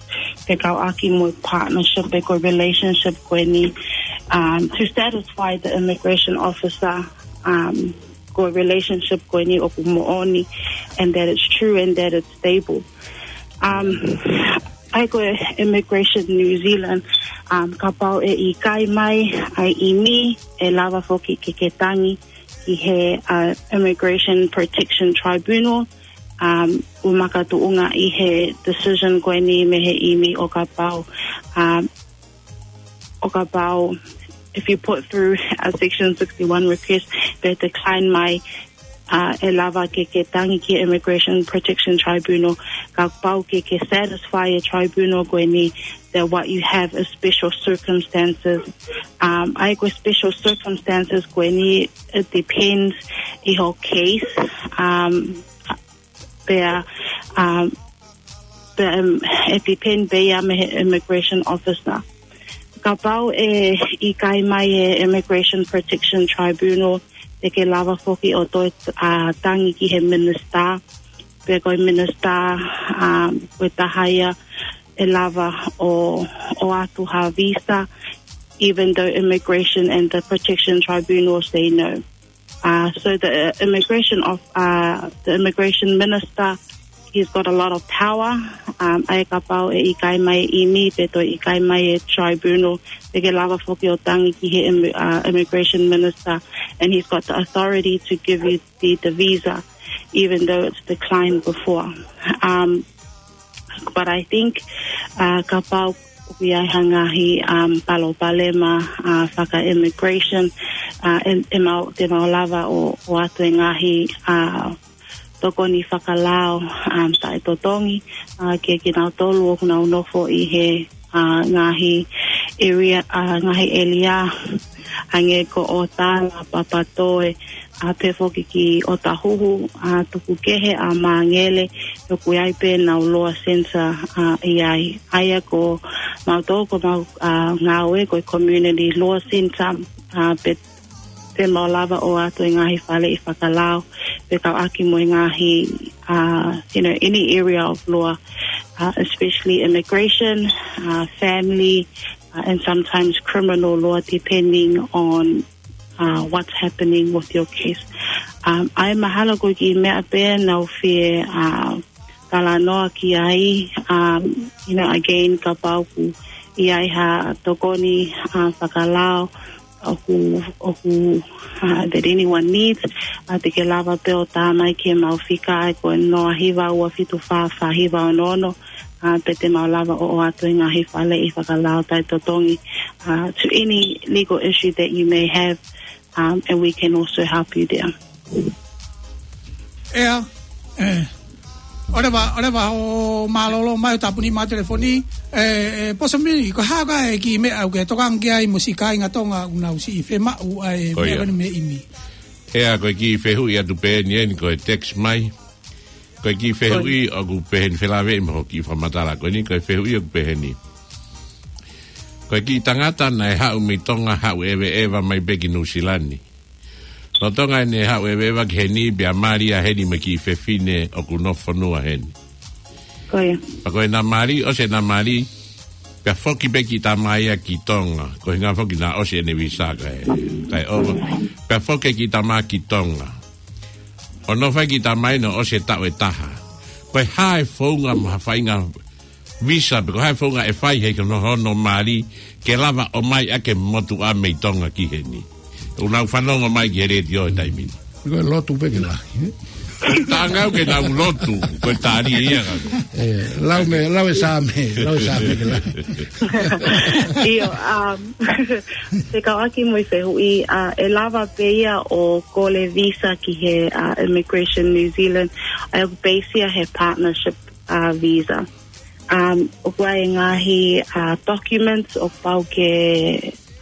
fekauʻaki mo e partnership pe ko e relationship ko eni, um, to satisfy the immigration officer, um, ko e relationship ko eni ʻoku moʻoni, and that it's true and that it's stable. Um, ʻa ia ko e Immigration New Zealand, um, kapau ʻe ʻikai mai ʻa e ʻimi, ʻe lava foki ke ke tangi ki he, uh, Immigration Protection Tribunal, um, ʻoku makatuʻunga ʻi he decision ko eni mei he ʻimi ʻo kapau, um, ʻo kapau, if you put through a Section sixty-one request, pea decline mai, uh, ʻe lava ke ke tangi ki he Immigration Protection Tribunal, kapau ke ke satisfy e tribunal ko eni that what you have is special circumstances. Um, ʻa ia ko e special circumstances ko eni, it depends ʻi ho case. Um, pea, um, pea, um, ʻe depend pē ia mei he immigration officer. Kapau ʻe ʻikai mai e Immigration Protection Tribunal, te ke lava foki ʻo toe, uh, tangi ki he minister. Pea ko e minister, um, ko e taha ia ʻe lava ʻo, ʻoatu ha visa, even though Immigration and the Protection Tribunal say no. Uh, so the, uh, immigration of, uh, the immigration minister, he's got a lot of power. Um, ʻa ia kapau ʻe ʻikai mai e ʻimi pe toe ʻikai mai e tribunal, te ke lava foki ʻo tangi ki he im-, uh, immigration minister, and he's got the authority to give you the, the visa, even though it's declined before. Um, but I think, uh, kapau ʻoku ʻi ai ha ngaahi, um, palopalema, uh, faka-immigration, uh, ʻe, ʻe mau, te mau lava ʻo, ʻoatu e ngaahi, uh, tokoni fakalao, um, taʻetotongi, uh, ke, ke kinautolu ʻoku nau nofo ʻi he, uh, ngaahi area, uh, ngaahi ʻēlia, hangē ko ʻOtala, Papatoe, ʻa pea foki ki ʻOtahuhu, ʻa Tukukehe, ʻa Māngele, ʻoku ʻi ai pē ʻenau Loa Centre, ʻa ʻi ai. ʻA ia ko mautolu ko mau, ʻa, ngāue ko e Community Loa Centre, ʻa pea, pea mau lava ʻo ʻoatu e ngaahi faleʻi fakalao, fekauʻaki mo e ngaahi, ʻa, you know, any area of law, ʻa, especially immigration, ʻa, family, ʻa, and sometimes criminal law, depending on, uh, what's happening with your case. Um, ʻa ia mahalo ko e kiʻi meʻa pē naʻa ku fie, uh, talanoa ki ai, um, you know, again, kapau ʻoku ʻi ai ha tokoni, uh, fakalao ʻoku, ʻoku, uh, that anyone needs, uh, te ke lava pē ʻo tā mai ki heʻemau fika ʻa ia ko e noa hiva ua fitu fā fā hiva ono ono, uh, pea te mau lava ʻo ʻoatu e ngaahi faleʻi fakalao taʻetotongi, uh, to any legal issue that you may have, um, and we can also help you there. ʻEa, ʻe, ʻoleva, ʻoleva ʻo mālōlō mai ʻo tāpuni mai telefoni, ʻe, ʻe, Posa Mili, ko e hā koā e kiʻi meʻa ʻoku ke tokanga ki ai mo siʻi kāinga Tonga ʻoku nau siʻi fiemaʻu ʻa e meʻa ko eni mei he ʻimi? ʻEa, ko e kiʻi fehuʻi atu pē eni, eni ko e text mai. Ko e kiʻi fehuʻi ʻoku peheni, felāveʻi mo hoʻo kiʻi fakamatala ko eni, ko e fehuʻi ʻoku peheni. Ko e kiʻi tangata naʻe haʻu mei Tonga, haʻu ʻeveʻeva mai pē ki Nuʻusila ni. Lolotonga ʻene haʻu ʻeveʻeva ki heni pea mali ʻa heni mo e kiʻi fefine ʻoku nofo fonua heni. Ko ia. Pea ko ʻena mali, ʻosi ʻena mali, pea foki pē e kiʻi tama ia ki Tonga. Ko e ʻuhinga foki naʻe ʻosi ʻene visa kae, kae ova. Pea foki e kiʻi tama ki Tonga. ʻo nofo ai e kiʻi tamai ni ʻosi e taʻu ʻe taha. Ko e hā e founga mo ha faʻahinga visa pe ko e hā e founga ʻe fai he ko hono, hono mali ke lava ʻo ʻomai ʻaki e motuʻa mei Tonga ki heni. ʻOku nau fanongo mai ki he letiō he taimi ni. Ko e lotu pē ke lahi, ē? Taʻanga au ke nau lotu, ko e tali ia ka. Ē, lau mei, lau e Saame, lau e Saame ke lahi. ʻIo, um, fekauʻaki mo e fehuʻi, uh, ʻe lava pē ia ʻo kole visa ki he, uh, Immigration New Zealand, ʻa ia ʻoku base ia he partnership, uh, visa. Um, ʻoku ʻi ai e ngaahi, uh, documents ʻoku pau ke,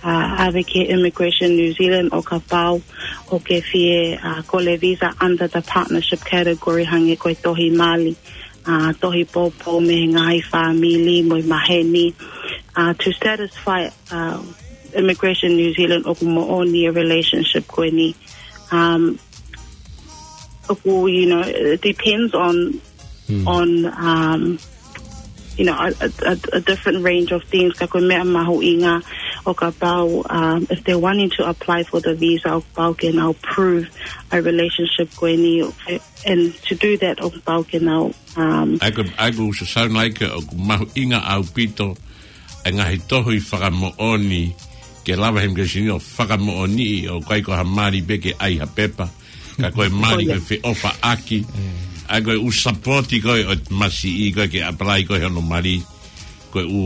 uh, ʻave ki he Immigration New Zealand ʻo kapau ʻoku ke fie, uh, kole visa under the partnership category hangē ko e tohi mali, uh, tohi poupou mei he ngaahi fāmili mo e maheni, uh, to satisfy, uh, Immigration New Zealand ʻoku moʻoni e relationship ko eni. Um, ʻoku, you know, it depends on, on, um, you know, a, a, a, a different range of things. Ka ko e meʻa mahuʻinga ʻo kapau, um, if they're wanting to apply for the visa, ʻoku pau ke nau prove a relationship ko eni, and to do that, ʻoku pau ke nau, um, ʻA ia ko, ʻa ia ko e sound like ʻoku mahuʻinga ʻaupito e ngaahi tohi fakamoʻoni ke lava he immigration ʻo fakamoʻoniʻi ʻoku ʻikai ko ha mali pē ke ʻai ha pepa. Ka ko e mali ko e feʻofaʻaki. ʻA ia ko e ʻū sapoti ko ē ʻo e tamasiʻi ko ē ke apply ko ē hono mali. Ko e ʻū,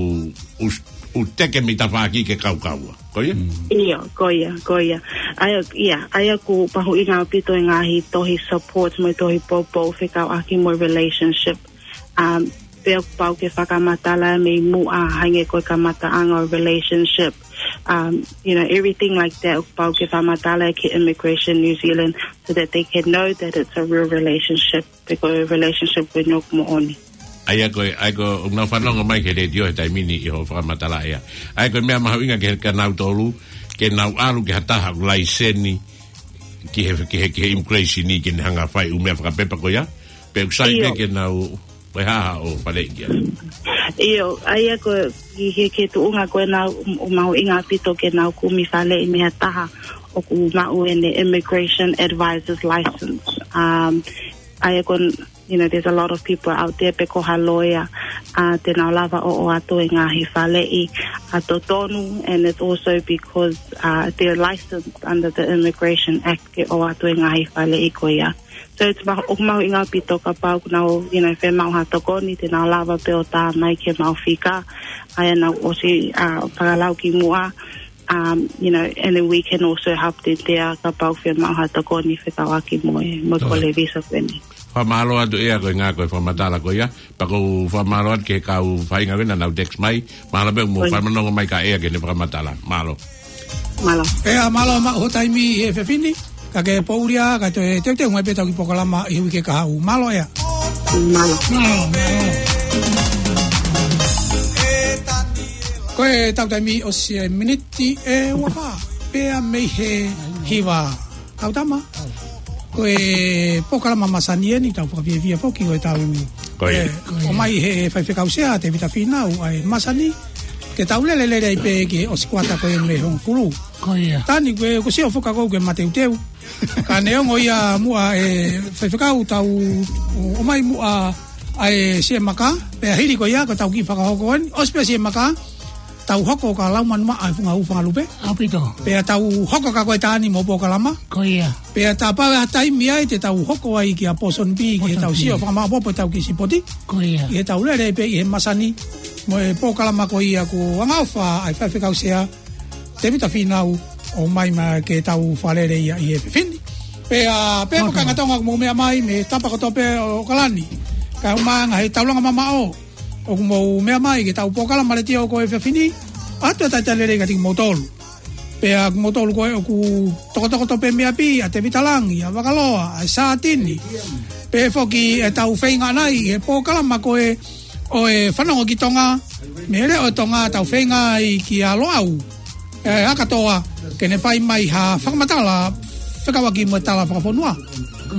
ʻū, ʻū teke mei tafaʻaki ke kaukaua. Ko ia? ʻIo, ko ia, ko ia. ʻA ia, ia, ʻa ia ʻoku mahuʻinga ʻaupito e ngaahi tohi support mo e tohi poupou fekauʻaki mo e relationship. Um, pea ʻoku pau ke fakamatala mei muʻa hangē ko e kamataʻanga ʻo e relationship. Um, you know, everything like that, ʻoku pau ke fakamatala ki Immigration New Zealand so that they can know that it's a real relationship, pe ko e relationship ko eni ʻoku moʻoni. ʻA ia ko e, ʻa ia ko e, ʻoku nau fanongo mai ki he letiō he taimi ni ʻi hoʻo fakamatala ia. ʻA ia ko e meʻa mahuʻinga ke, kia nautolu, ke nau ʻalu ki ha taha ʻoku laiseni ki he, ki he, ki he immigration ni ke ne hanga ʻo fai ʻū meʻa fakapepa ko ia. Pe ʻoku sai pē ke nau, pe hā haʻo faleʻi ki ai. ʻIo, ʻa ia ko e, ʻi he, ki he tuʻunga ko ena ʻoku mahuʻinga ʻaupito ke nau kumi faleʻi mei ha taha ʻoku maʻu ʻene immigration advisor's license. Um, ʻa ia ko e, you know, there's a lot of people out there pe ko ha lawyer, uh, te nau lava ʻo ʻoatu e ngaahi faleʻi ʻa totonu, and it's also because, uh, they're licensed under the Immigration Act ke ʻoatu e ngaahi faleʻi ko ia. So it's ma-, ʻoku mahuʻinga ʻaupito kapau ʻoku nau, you know, fiemaʻu ha tokoni, te nau lava pē ʻo tā mai ki heʻemau fika, ʻa ia naʻa ku ʻosi, uh, fakalau ki muʻa, um, you know, and then we can also help them there kapau fiemaʻu ha tokoni fekauʻaki mo e, mo e kole visa ko eni. Fakamālō atu ʻEa ko e ngāue ko e fakamatala ko ia. Pea ʻoku ou fakamālō atu ki he kau faʻahinga ko ena naʻa nau text mai. Mahalo pē mo fanongo mai kia ʻEa ki heʻene fakamatala. Mālō. Mālō. ʻEa, mālō maʻu ho taimi he efiafi ni. Ka ke poʻuli ā, ka toe teuteu mai pē ʻetau kiʻi polokalama ʻi he uike kahaʻu. Mālō ʻEa. Mālō. Mālō, mālō. Ko ʻetau taimi ʻosi e miniti ʻe uofā pē mei he hiva. Kau tama. Ko e polokalama masani eni, tau fakafiefia foki ko ʻetau, ʻomai he faifekau sea, Tēvita Fīnau, ʻa e masani, ke tau lele lele ai pē ki he ʻosi kuata ko ē mei Hongofulu. Ko ia. Tani, ko e, ʻoku ou sio foki au ke mateuteu. Ka neongo ia muʻa e faifekau tau ʻomai muʻa ʻa e siʻi maka, pea hili ko ia, ko ʻetau kiʻi fakahoko eni, ʻosi pē siʻi maka, tau hoko ka lau manumaʻa e funga ʻū fanga lupe. ʻAupito. Pea tau hoko ka ko e taimi mo e polokalama. Ko ia. Pea tā pau ha taimi ai te tau hoko ai kia Pōsoni Bī, ki heʻetau sio fakamāʻopoʻopo ʻetau kiʻi sipoti. Ko ia. ʻI heʻetau lele pē ʻi he masani, mo e polokalama ko ia kuo angaʻofa ʻa e faifekau sea, Tēvita Fīnau, ʻomai mai ke tau fakalele ia ʻi he efiafi ni. Pea, pea ko e kāinga Tonga ʻoku mou meʻa mai mei he tapa kotoa pē ʻo ʻAokalani. Kae ʻumaʻā ʻa e taulanga mamaʻo ʻoku mou meʻa mai ki heʻetau polokalama letiō ko e efiafi ni, ʻoatu e talitali lelei kiate kimoutolu. Pea kimoutolu ko ē ʻoku tokotoko pē mei ʻapi, ʻa Tēvita Langi, ʻa Vakaloa, ʻa Sātini. Pea foki ʻetau feinga ʻanai he polokalama ko ē ʻo e Fanongo ki Tonga, mei he Leʻo ʻo Tonga, tau feinga ai kia Loʻau, ʻe, ʻAkatoa, ke ne fai mai ha fakamatala fekauʻaki mo e tala fakafonua.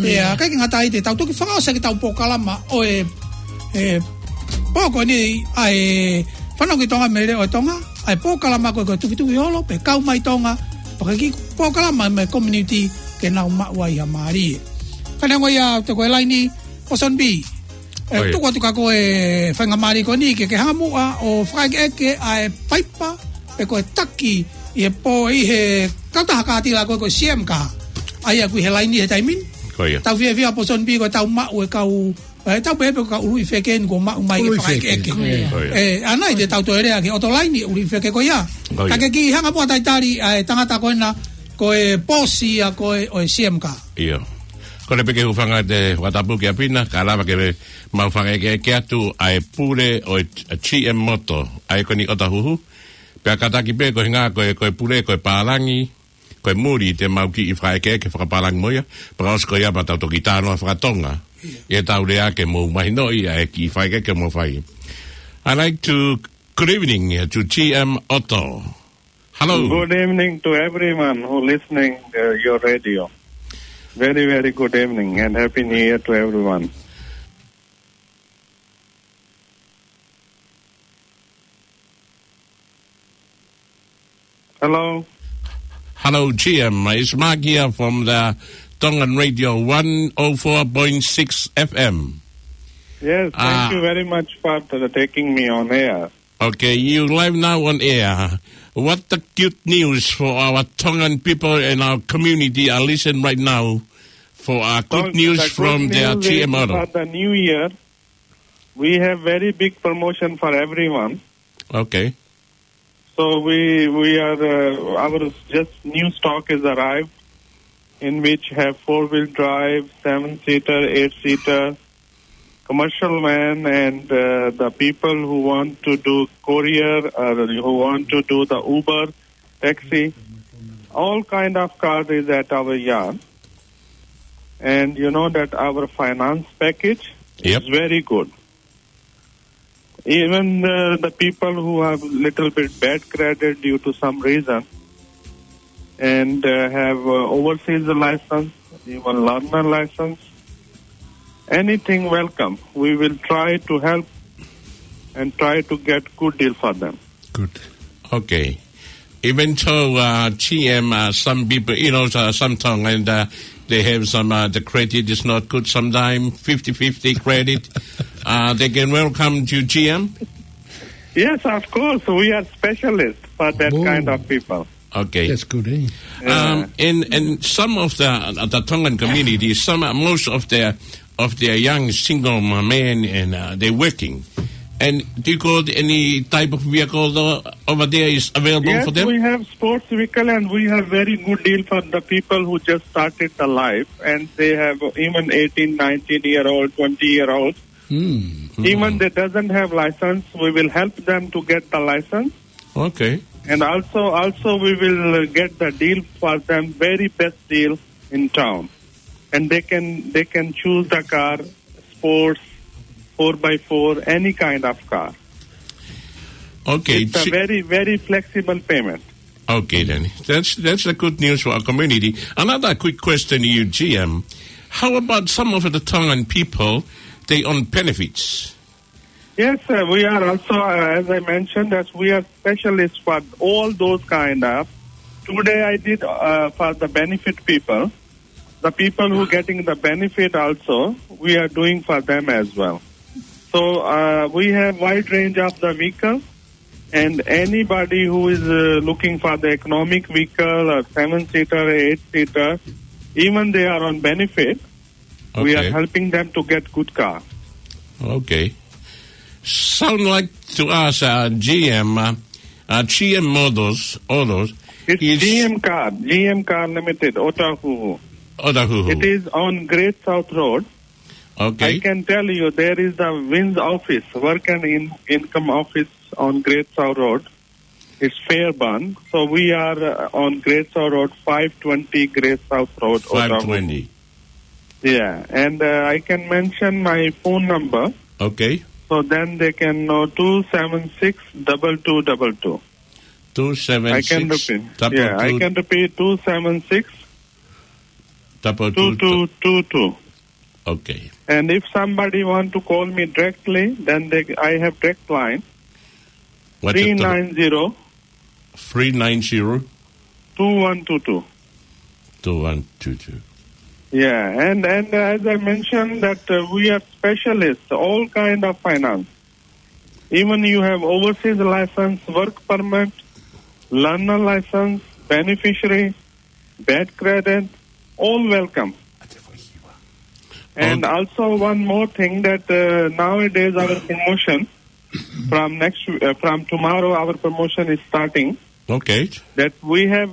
Pea ʻikai ke ngata ai, te tau toki fakaʻosi ʻaki ʻetau polokalama ʻo e, e, pō ko eni ʻa e Fanongo ki Tonga mei he Leʻo ʻo Tonga, ʻa e polokalama ko ē ko e Tufitufi Holo, pe Kau Mai Tonga, pea ko e kiʻi polokalama mei he community ke nau maʻu ai ha mālie. Ka neongo ia, ʻoku ʻi he laini ʻa Poson B. ʻE, ʻOi. Tuku atu kia koe e faingamālie ko eni ke ke hanga muʻa ʻo fakaʻekeʻeke ʻa e paipa, pe ko e taki ʻi he pō, ʻi he kautaha kātila ko ē ko e C M Car. ʻA ia ʻoku ʻi he laini he taimi ni. Ko ia. Tau fiefia Poson B ko e tau maʻu e kau, ʻe, tau pehē pē ko e kau ʻuluʻi feke eni kuo maʻu mai ke ʻUluʻi feke. fakaʻekeʻeke. Ko ia. Ko ia. ʻE, ʻanai te tau toe lea ki he ʻoto laini ʻuluʻi feke ko ia. Ko ia. Ka ke kiʻi hanga muʻa ʻo talitali ʻa e tangata ko ena, ko e pōsi ia ko ē ʻo e C M Car. ʻIo. Kole pē ke u hūfanga ʻi he fakatapu kia Pina, kae lava ke mau fakaʻekeʻeke atu ʻa e pule ʻo e G M Motor, ʻa ia ko eni ʻOtahuhu. Pea kātaki pē ko e ʻuhinga ko e, ko e pule, ko e pālangi, ko e muli te mau kiʻi fakaʻekeʻeke fakapālangi mo ia, pea ka ʻosi ko ia pea tau toki talanoa fakatonga. ʻIo. ʻI heʻetau lea ke mou mahinoʻi ʻa e kiʻi fakaʻekeʻeke ʻoku mou fai. I'd like to, good evening, uh, to G M Auto. Hello. Good evening to everyone who listening, uh, your radio. Very, very good evening and Happy New Year to everyone. Hello. Hello, G M. It's Mark here from the Tongan Radio one oh four point six F M. Yes, thank Uh, you very much for t-, taking me on air. Okay, you live now on air. What the good news for our Tongan people and our community are listening right now for our good So, news the from good the news is G M Auto? for the new year, we have very big promotion for everyone. Okay. So we, we are, uh, our just new stock is arrived, in which have four-wheel drive, seven-seater, eight-seater, commercial van, and, uh, the people who want to do courier or who want to do the Uber, taxi, all kind of car is at our yard. And you know that our finance package Yep. is very good. Even the, the people who have little bit bad credit due to some reason and, uh, have, uh, overseas license, even learner license, anything welcome. We will try to help and try to get good deal for them. Good. Okay. Even though, uh, G M, uh, some people, you know, uh, some Tongan, uh, they have some, uh, the credit is not good sometimes, fifty fifty credit. Uh, they can welcome to G M? Yes, of course. We are specialists for that Whoa. kind of people. Okay. That's good, eh? Yeah. Um, and, and some of the, uh, the Tongan community, some, uh, most of their of their young single m-, men and, uh, they're working. And do you got any type of vehicle tho-, over there is available Yes, for them? we have sports vehicle and we have very good deal for the people who just started the life and they have even eighteen, nineteen year old, twenty year old. Hmm. Even Hmm. they doesn't have license, we will help them to get the license. Okay. And also, also we will, uh, get the deal for them, very best deal in town. And they can, they can choose the car, sports, four by four, any kind of car. Okay, It's a see very, very flexible payment. Okay, then. That's, that's a good news for our community. Another quick question to you, G M. How about some of the Tongan people, they on benefits? Yes, sir. We are also, uh, as I mentioned, as we are specialists for all those kind of. Today I did, uh, for the benefit people. The people who getting the benefit also, we are doing for them as well. So, uh, we have wide range of the vehicle, and anybody who is, uh, looking for the economic vehicle or seven-seater, eight-seater, even they are on benefit, we are Okay. helping them to get good car. Okay. Sound like to us, uh, G M, uh, uh, G M Motors, Autos It's is G M Car, G M Car Limited, Otahuhu. Otahuhu. It is on Great South Road. Okay. I can tell you there is the Wins office, work and in-, income office on Great South Road. It's Fairburn. So we are, uh, on Great South Road, five twenty Great South Road, Otahuhu. Five twenty. Yeah, and, uh, I can mention my phone number. Okay. So then they can know two seven six double two double two. Two seven six double two double two. I can repeat. Yeah, I can repeat, two seven six double two two two two. Okay. And if somebody want to call me directly, then they, I have direct line. What's it? Three nine zero. Three nine zero. Two one two two. Two one two two. Yeah, and, and as I mentioned that, uh, we are specialists, all kind of finance. Even you have overseas license, work permit, learner license, beneficiary, bad credit, all welcome. And also one more thing that, uh, nowadays our promotion from next, uh, from tomorrow our promotion is starting. Okay. That we have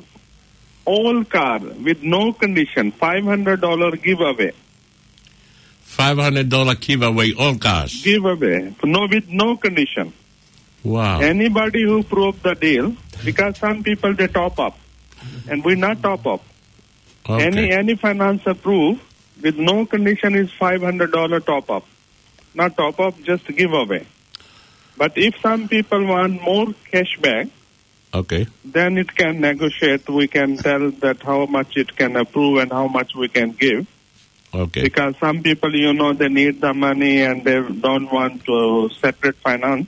all car with no condition, five hundred dollar giveaway. Five hundred dollar giveaway, all cars. Giveaway, no, with no condition. Wow. Anybody who prove the deal, because some people they top up, and we not top up. Okay. Any, any finance approve with no condition is five hundred dollar top up. Not top up, just giveaway. But if some people want more cashback, okay, then it can negotiate. We can tell that how much it can approve and how much we can give. Okay. Because some people, you know, they need the money and they don't want to separate finance.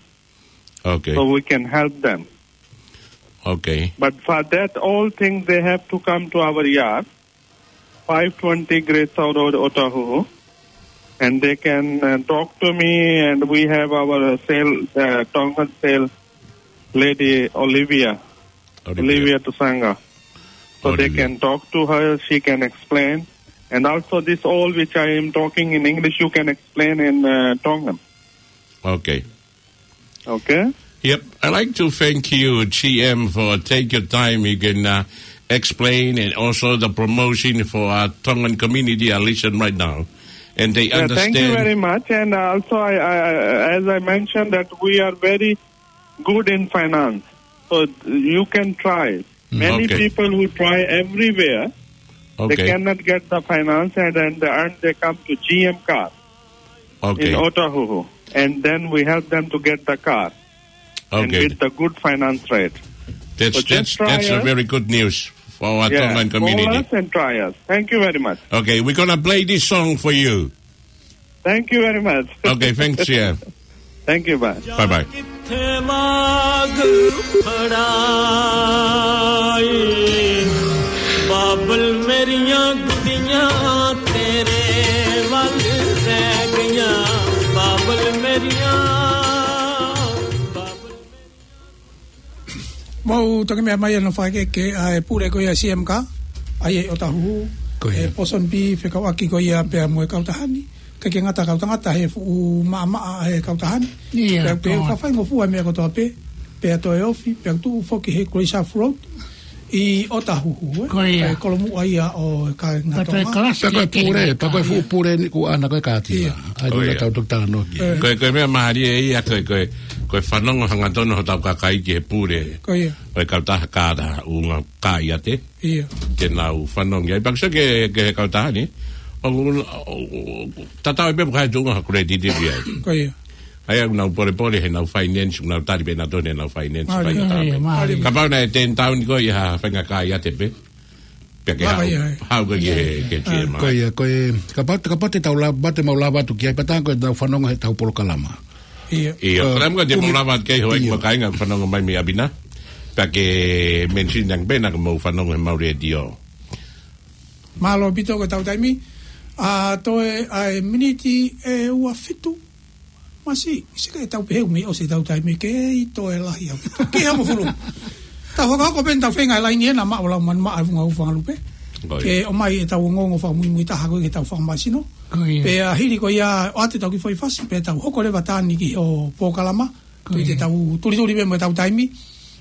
Okay. So we can help them. Okay. But for that, all things, they have to come to our yard, five twenty Great South Road, Otahuhu, and they can, uh, talk to me, and we have our sale, uh, Tongan sale lady, Olivia, Olivia. Olivia Tusanga. So they Olivia. Can talk to her, she can explain. And also this all which I am talking in English, you can explain in, uh, Tongan. Okay. Okay. Yep. I'd like to thank you, G M, for take your time. You can, uh, explain and also the promotion for our Tongan community are listening right now. And they Yeah, understand. Thank you very much. And also, I, I, I, as I mentioned, that we are very good in finance. So you can try. Mm. Many Okay. people who try everywhere, Okay. they cannot get the finance, and then they, and they come to G M Car Okay. in Otahuhu. And then we help them to get the car. And Okay. With the good finance rate. That's, So just that's, try that's a us. Very good news for our Yeah, Tongan community. Call us and try us. Thank you very much. Okay, we're gonna play this song for you. Thank you very much. Okay, thanks, yeah. Thank you, bye. Bye-bye. Mau toki meʻa mai ʻa e fakaʻekeʻeke ʻa e pule ko ia C M K, ʻa ia ʻi Otahuhu, Ko ia. ʻE Pōsoni Pī fekauʻaki ko ia pea mo e kautaha ni, ʻikai ke ngata kautangata he fuʻu maʻamaʻa ʻa e kautaha ni. Ia, Pea pē ko- fakafaingofua meʻa kotoa pē, pea toe ofi, pea tuʻu foki he Grace Road, ʻi Otahuhu, ē? Ko ia. ʻE kolomuʻa ia ʻo e kāinga Tonga. Pea toe kalasi Pea ko e ke pule, pea ko e fuʻu pule ni kuo ʻana ko e kāti Ia. la. ʻAi Ko ia. tau toki talanoa ki ai. Ē. Ko e, ko e meʻa mālie ia, ko e, ko e, ko e fanongo hangatonu hotau kakai ki he pule. Ko ia. Ko e kautaha kāta ʻunga kāiate. Ia. Ke nau fanongo ai. Pea ko e ke, ke he kautaha ni. ʻO, ʻo, ʻo, tatau ai pē pe ko e hā e tuʻunga ha credit ia. Ko ia. ʻA ia ʻoku nau polepole heʻenau finance, ʻoku nau tali pē ʻenautolu heʻenau finance, Mālie. Faingataʻa pē. Mālie, mālie. Kapau naʻe ten taun ko ia ha faingataʻa ia te pē. Pea ke Mālie, haʻu, ē. haʻu ko ia ki he, ki he Mālie. Ko ia, ko e, kapau, kapau te tau lava, te mau lava atu ki ai, pea tā ko e tau fanongo heʻetau polokalama. Ia. Ia, Ā, ko e lama ko te mau kumi- lava atu ki ai, hoi Ia. mo kāinga fanongo mai mei ʻapi na. Pea ke mention ange pē naʻa mau fanongo he mau letiō. Mālō ʻaupito ko e tau taimi. ʻA, toe ʻa e miniti ʻe ua fitu. Masi, sika ʻe tau pehē ʻoku mei ʻosi ʻetau taimi ke ʻi toe lahi au. Ke hamo fulu. Tau fakahoko pē ʻetau feinga ʻe laini ena maʻu lau manu maʻa e funga ufa ngalupe. Ko ia. Ke ʻomai ʻetau ongoongo fakamuimui taha ko ia ke tau fakamasino. Ko ia. Pea hili ko ia ʻoatu ʻetau kiʻi foʻi fasi, pea tau hoko leva taha ni ki he polokalama. Ko ia. Te tau tulituli pē mo ʻetau taimi.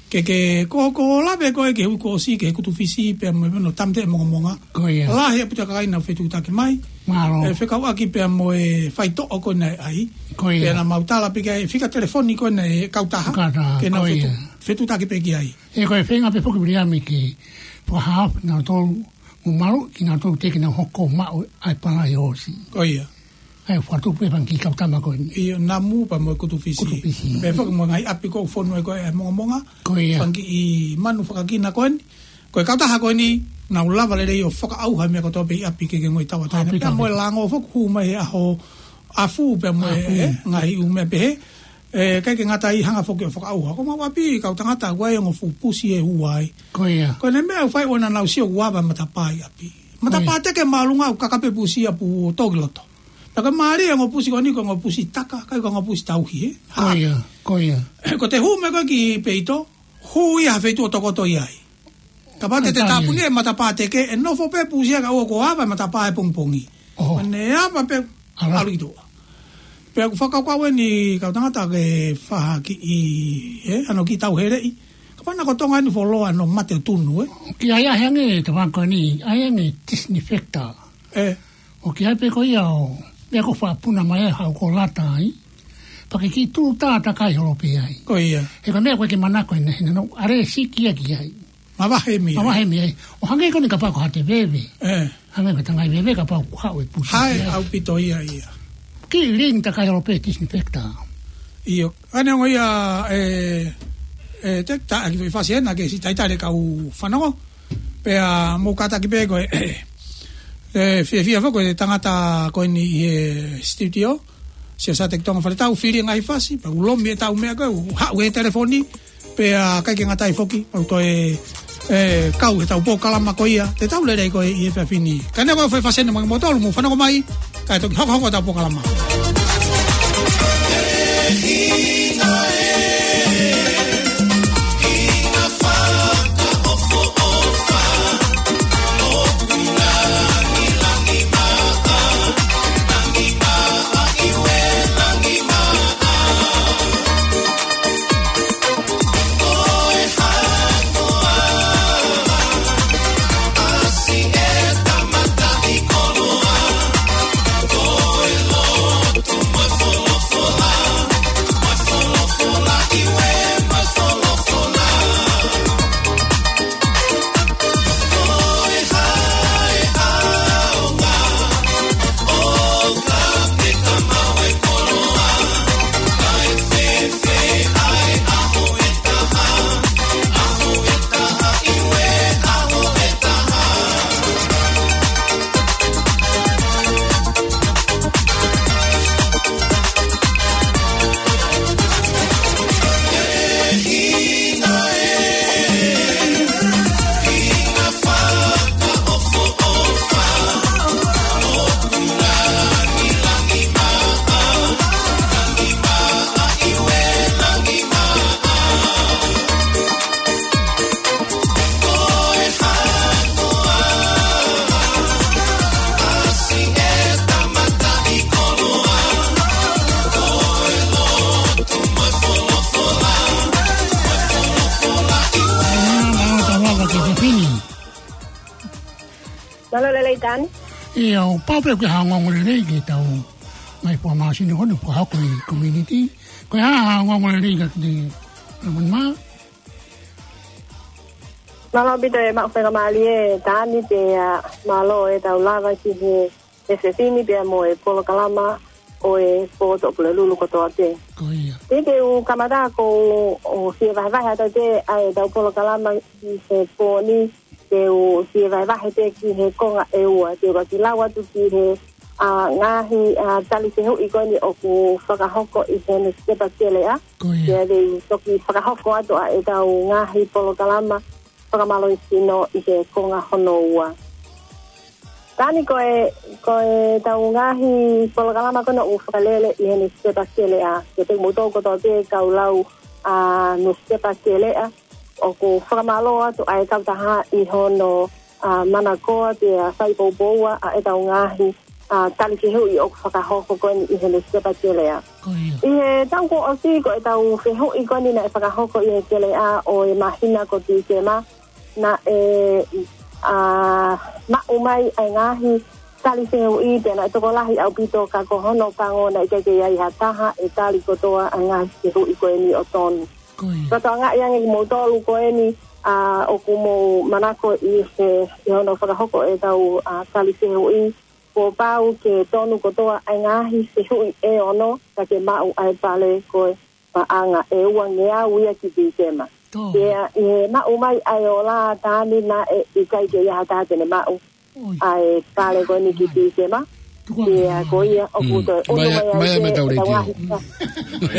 Ke, ke, ko, ko lave ko e ke hui ko ʻosi, ke kutu fisi, pea mo e meno tamte e mongamonga. Ko ia. Lahi ʻaupito e kakai naʻa nau fetuʻutaki mai. Mālō. ʻE fekauʻaki pea mo e faitoʻo ko ena ʻe ʻai. Ko ia. Pea naʻa mau tala pē ki ai, fika telefoni ko ena ʻa e kautaha. Kautaha, Ke nau ko ia. fetu-, fetuʻutaki pē ki ai. ʻE ko e feinga pē foki Viliami ke fakahaofi nautolu, mo malu ki nautolu te ke nau hoko maʻu ʻa e palai ʻosi. Ko ia. ʻA e fatu pē fanga kiʻi kautama ko eni. ʻIo, namu pea mo e kutu fisi. Kutu fisi. Pea foki mo e ngaahi ʻapi ko ē ʻoku fonu ai ko ē e mongamonga. Ko ia. Fanga kiʻi manu fakakina ko eni. Ko e kautaha ko eni, nau lava lelei ʻo fakaʻauha e meʻa kotoa pē ʻi ʻapi ke ke ngoi tauʻatāina. ʻApi Pea mo e tauʻatāina. lango foki hū mai he ʻaho afu pea mo e, Afu. ē, ngaahi ʻū meʻa pehē. ʻE, ʻikai ke ngata ai hanga foki ʻo fakaʻauha. Ko mau ʻapi, kau tangata, ʻoku ʻi ai e ongo fuʻu pusi ʻe ua ai. Ko ia. Ko e meʻa ʻoku fai ʻoku nau sio ʻoku ava e matapā ʻi ʻapi. Matapā teke māʻolunga ʻoku kaka pē pusi ia ʻo toki loto. Pea ko e mālie e ongo pusi ko eni ko e ongo pusi taka, ʻikai ko e ongo pusi tauhi, ē? Ko ia, ko ia. Ko ʻete hū mai ko ē ki peito, hū ia ha feituʻu ʻo tokoto ai. Kapau te te tāpuni e matapā teke, ʻe nofo pē pusi ia kae ʻoua kuo ava e matapā he pongipongi. ʻOho. Pea ne ava pē ʻalu ki tuʻa. Pea ʻoku fakakaukau eni kau tangata ke fai ha kiʻi, ē, hano kiʻi tauheleʻi. Kapau naʻa ko Tonga eni fuoloa hono mate ʻo tunu, ē? Ki ai ʻa e hangē, te vā ko eni, ʻa e hangē disinfectant. ʻE. ʻOku ʻi ai pē ko ia ʻo, meʻa ko ē ʻoku faʻa puna mai ai haʻu ko lata ai. Pea ke kiʻi tū tā takai holo pē ai. Ko ia. He ko e meʻa ko ē ke manako ʻi he, he naʻa nau ʻalēsiki ia ki ai. Mavahe mei ai. Mavahe mei ai. ʻO hangē ko eni kapau ko haʻate veve. ʻE. Hangē ko e tangai veve kapau ʻoku haʻu e pusi. Hai, ʻaupito ia ia. Kiʻi ling takai holo pē disinfectant. ʻIo. Ane ongo ia, ē, ē, te ta aki fasi ena ke siʻi talitali e kau fanongo. Pea mou kātaki pē ko e, ē, fiefia foki ko e tangata ko eni ʻi he studio. Sio sa te ki Tonga Faletau, fili e ngaahi fasi, pea ʻoku lomi e tau meʻa ko ē, ʻoku haʻu he telefoni, pea ʻikai ke ngata ai foki, pea ko e, ē, kau he ʻetau polokalama ko ia, te tau lelei ko ē ʻi he efiafi ni. Ka ne ko e fai fasi ena mo kimoutolu, mou fanongo mai, kae toki hokohoko ʻetau polokalama. Mālō e lelei Tani. ʻIo, ʻoku pau pē ke ha ongoongo lelei ki heʻetau ngaahi fuʻu māsini ko eni ʻoku fakahoko ʻi he community. Ko e hā ha ongoongo lelei ka te, mā? Mālō ʻaupito e maʻu faingamālie Tani pea, ā, mālō e tau lava ki he efiafi ni pea mo e polokalama ʻo e Pō Tuʻapulelulu kotoa pē. Ko ia. Te u kamata ʻo, ʻo fie vahevahe atu pē ʻa ʻetau polokalama ʻi he pō ni, te u fie vahevahe pē ki he konga ʻe ua, te u kiʻi lau atu ki he, ā, ngaahi, ā, tali fehuʻi ko eni ʻoku fakahoko ʻi he nusipepa Teleʻa. Ko ia. Pea te u toki fakahoko atu ʻa ʻetau ngaahi polokalama fakamālohisino ʻi he konga hono ua. Tani ko e, ko ʻetau ngaahi polokalama ko ena ʻoku fakalele ʻi he nusipepa Teleʻa. Kiate kimoutolu kotoa pē kau lau, ā, nusipepa Teleʻa, ʻoku fakamālō atu ʻa e kautaha ʻi hono, ā, manakoa pea fai poupou ʻa ʻetau ngaahi, ā, tali fehuʻi ʻoku fakahoko ko eni ʻi he nusipepa Teleʻa. Ko ia. ʻI he taʻu kuo ʻosi ko ʻetau fehuʻi ko eni naʻe fakahoko ʻi he Teleʻa ʻo e māhina ko Tīsema, naʻe, ā, maʻu mai ʻa e ngaahi tali fehuʻi pea naʻe tokolahi ʻaupito ka ko hono pango naʻe ʻikai ke ʻi ai ha taha ʻe tali kotoa ʻa e ngaahi fehuʻi ko eni ʻo tonu. Ko ia. Fakatokangaʻi ange kimoutolu ko eni, ā, ʻoku mou manako ʻi he, ʻi hono fakahoko ʻetau, ā, tali fehuʻi, kuo pau ke tonu kotoa ʻa e ngaahi fehuʻi ʻe ono, ka ke maʻu ʻa e pale ko e paʻanga ʻe uangeau ia ki Tīsema. Tō. Pea ʻi he maʻu mai ʻa e ola Tani naʻe ʻikai ke ʻi ai ha taha te ne maʻu ʻa e pale ko eni ki Tīsema. Pea ko ia ʻoku toe ʻunu mai ai pē ʻetau ngaahi pa-,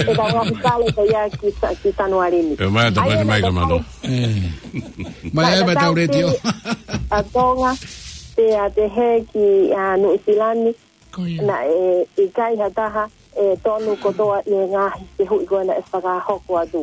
ʻetau ngaahi pale ko ia ki Sa-, ki Sanuali ni. ʻE, mai ʻetau pale mai ka mālō. ʻE. Mai ai mai ʻetau letiō. ʻA Tonga. Pea pehē ki ʻa Nuʻusila ni, naʻe ʻikai ha taha ʻe tonu kotoa ʻi he ngaahi fehuʻi ko ē naʻe fakahoko atu.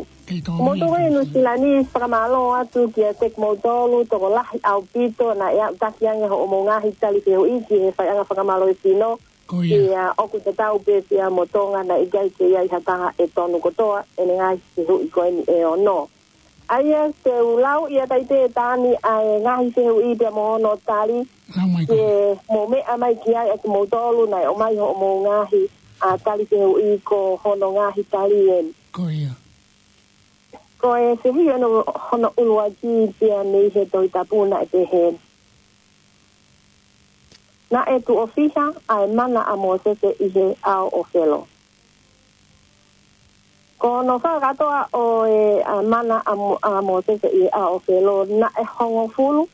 Moutolu ʻi Nuʻusila ni, fakamālō atu kiate kimoutolu tokolahi ʻaupito naʻe aʻutaki ange hoʻomou ngaahi tali fehuʻi ki he faiʻanga fakamālohisino. Pea ʻoku tatau pē pea mo Tonga, naʻe ʻikai ke ʻi ai ha taha ʻe tonu kotoa ʻene ngaahi fehuʻi ko eni ʻe ono. ʻA ia te u lau ia Taipe Tani ʻa e ngaahi fehuʻi pea mo hono tali. Ke mou meʻa mai ki ai ʻa kimoutolu naʻe ʻomai hoʻomou ngaahi ʻa tali fehuʻi, ko hono ngaahi tali eni. Ko e fehuʻi hono, hono ʻuluaki pea mei he Tohi Tapu naʻe pehē: Naʻe tuʻo fiha ʻa e mana ʻa Mōsese ʻi he ʻao ʻo Felo? Ko hono fakakātoa ʻo e ʻa mana ʻa Mo-, ʻa Mōsese ʻi he ʻao ʻo Felo, naʻe hongofulu.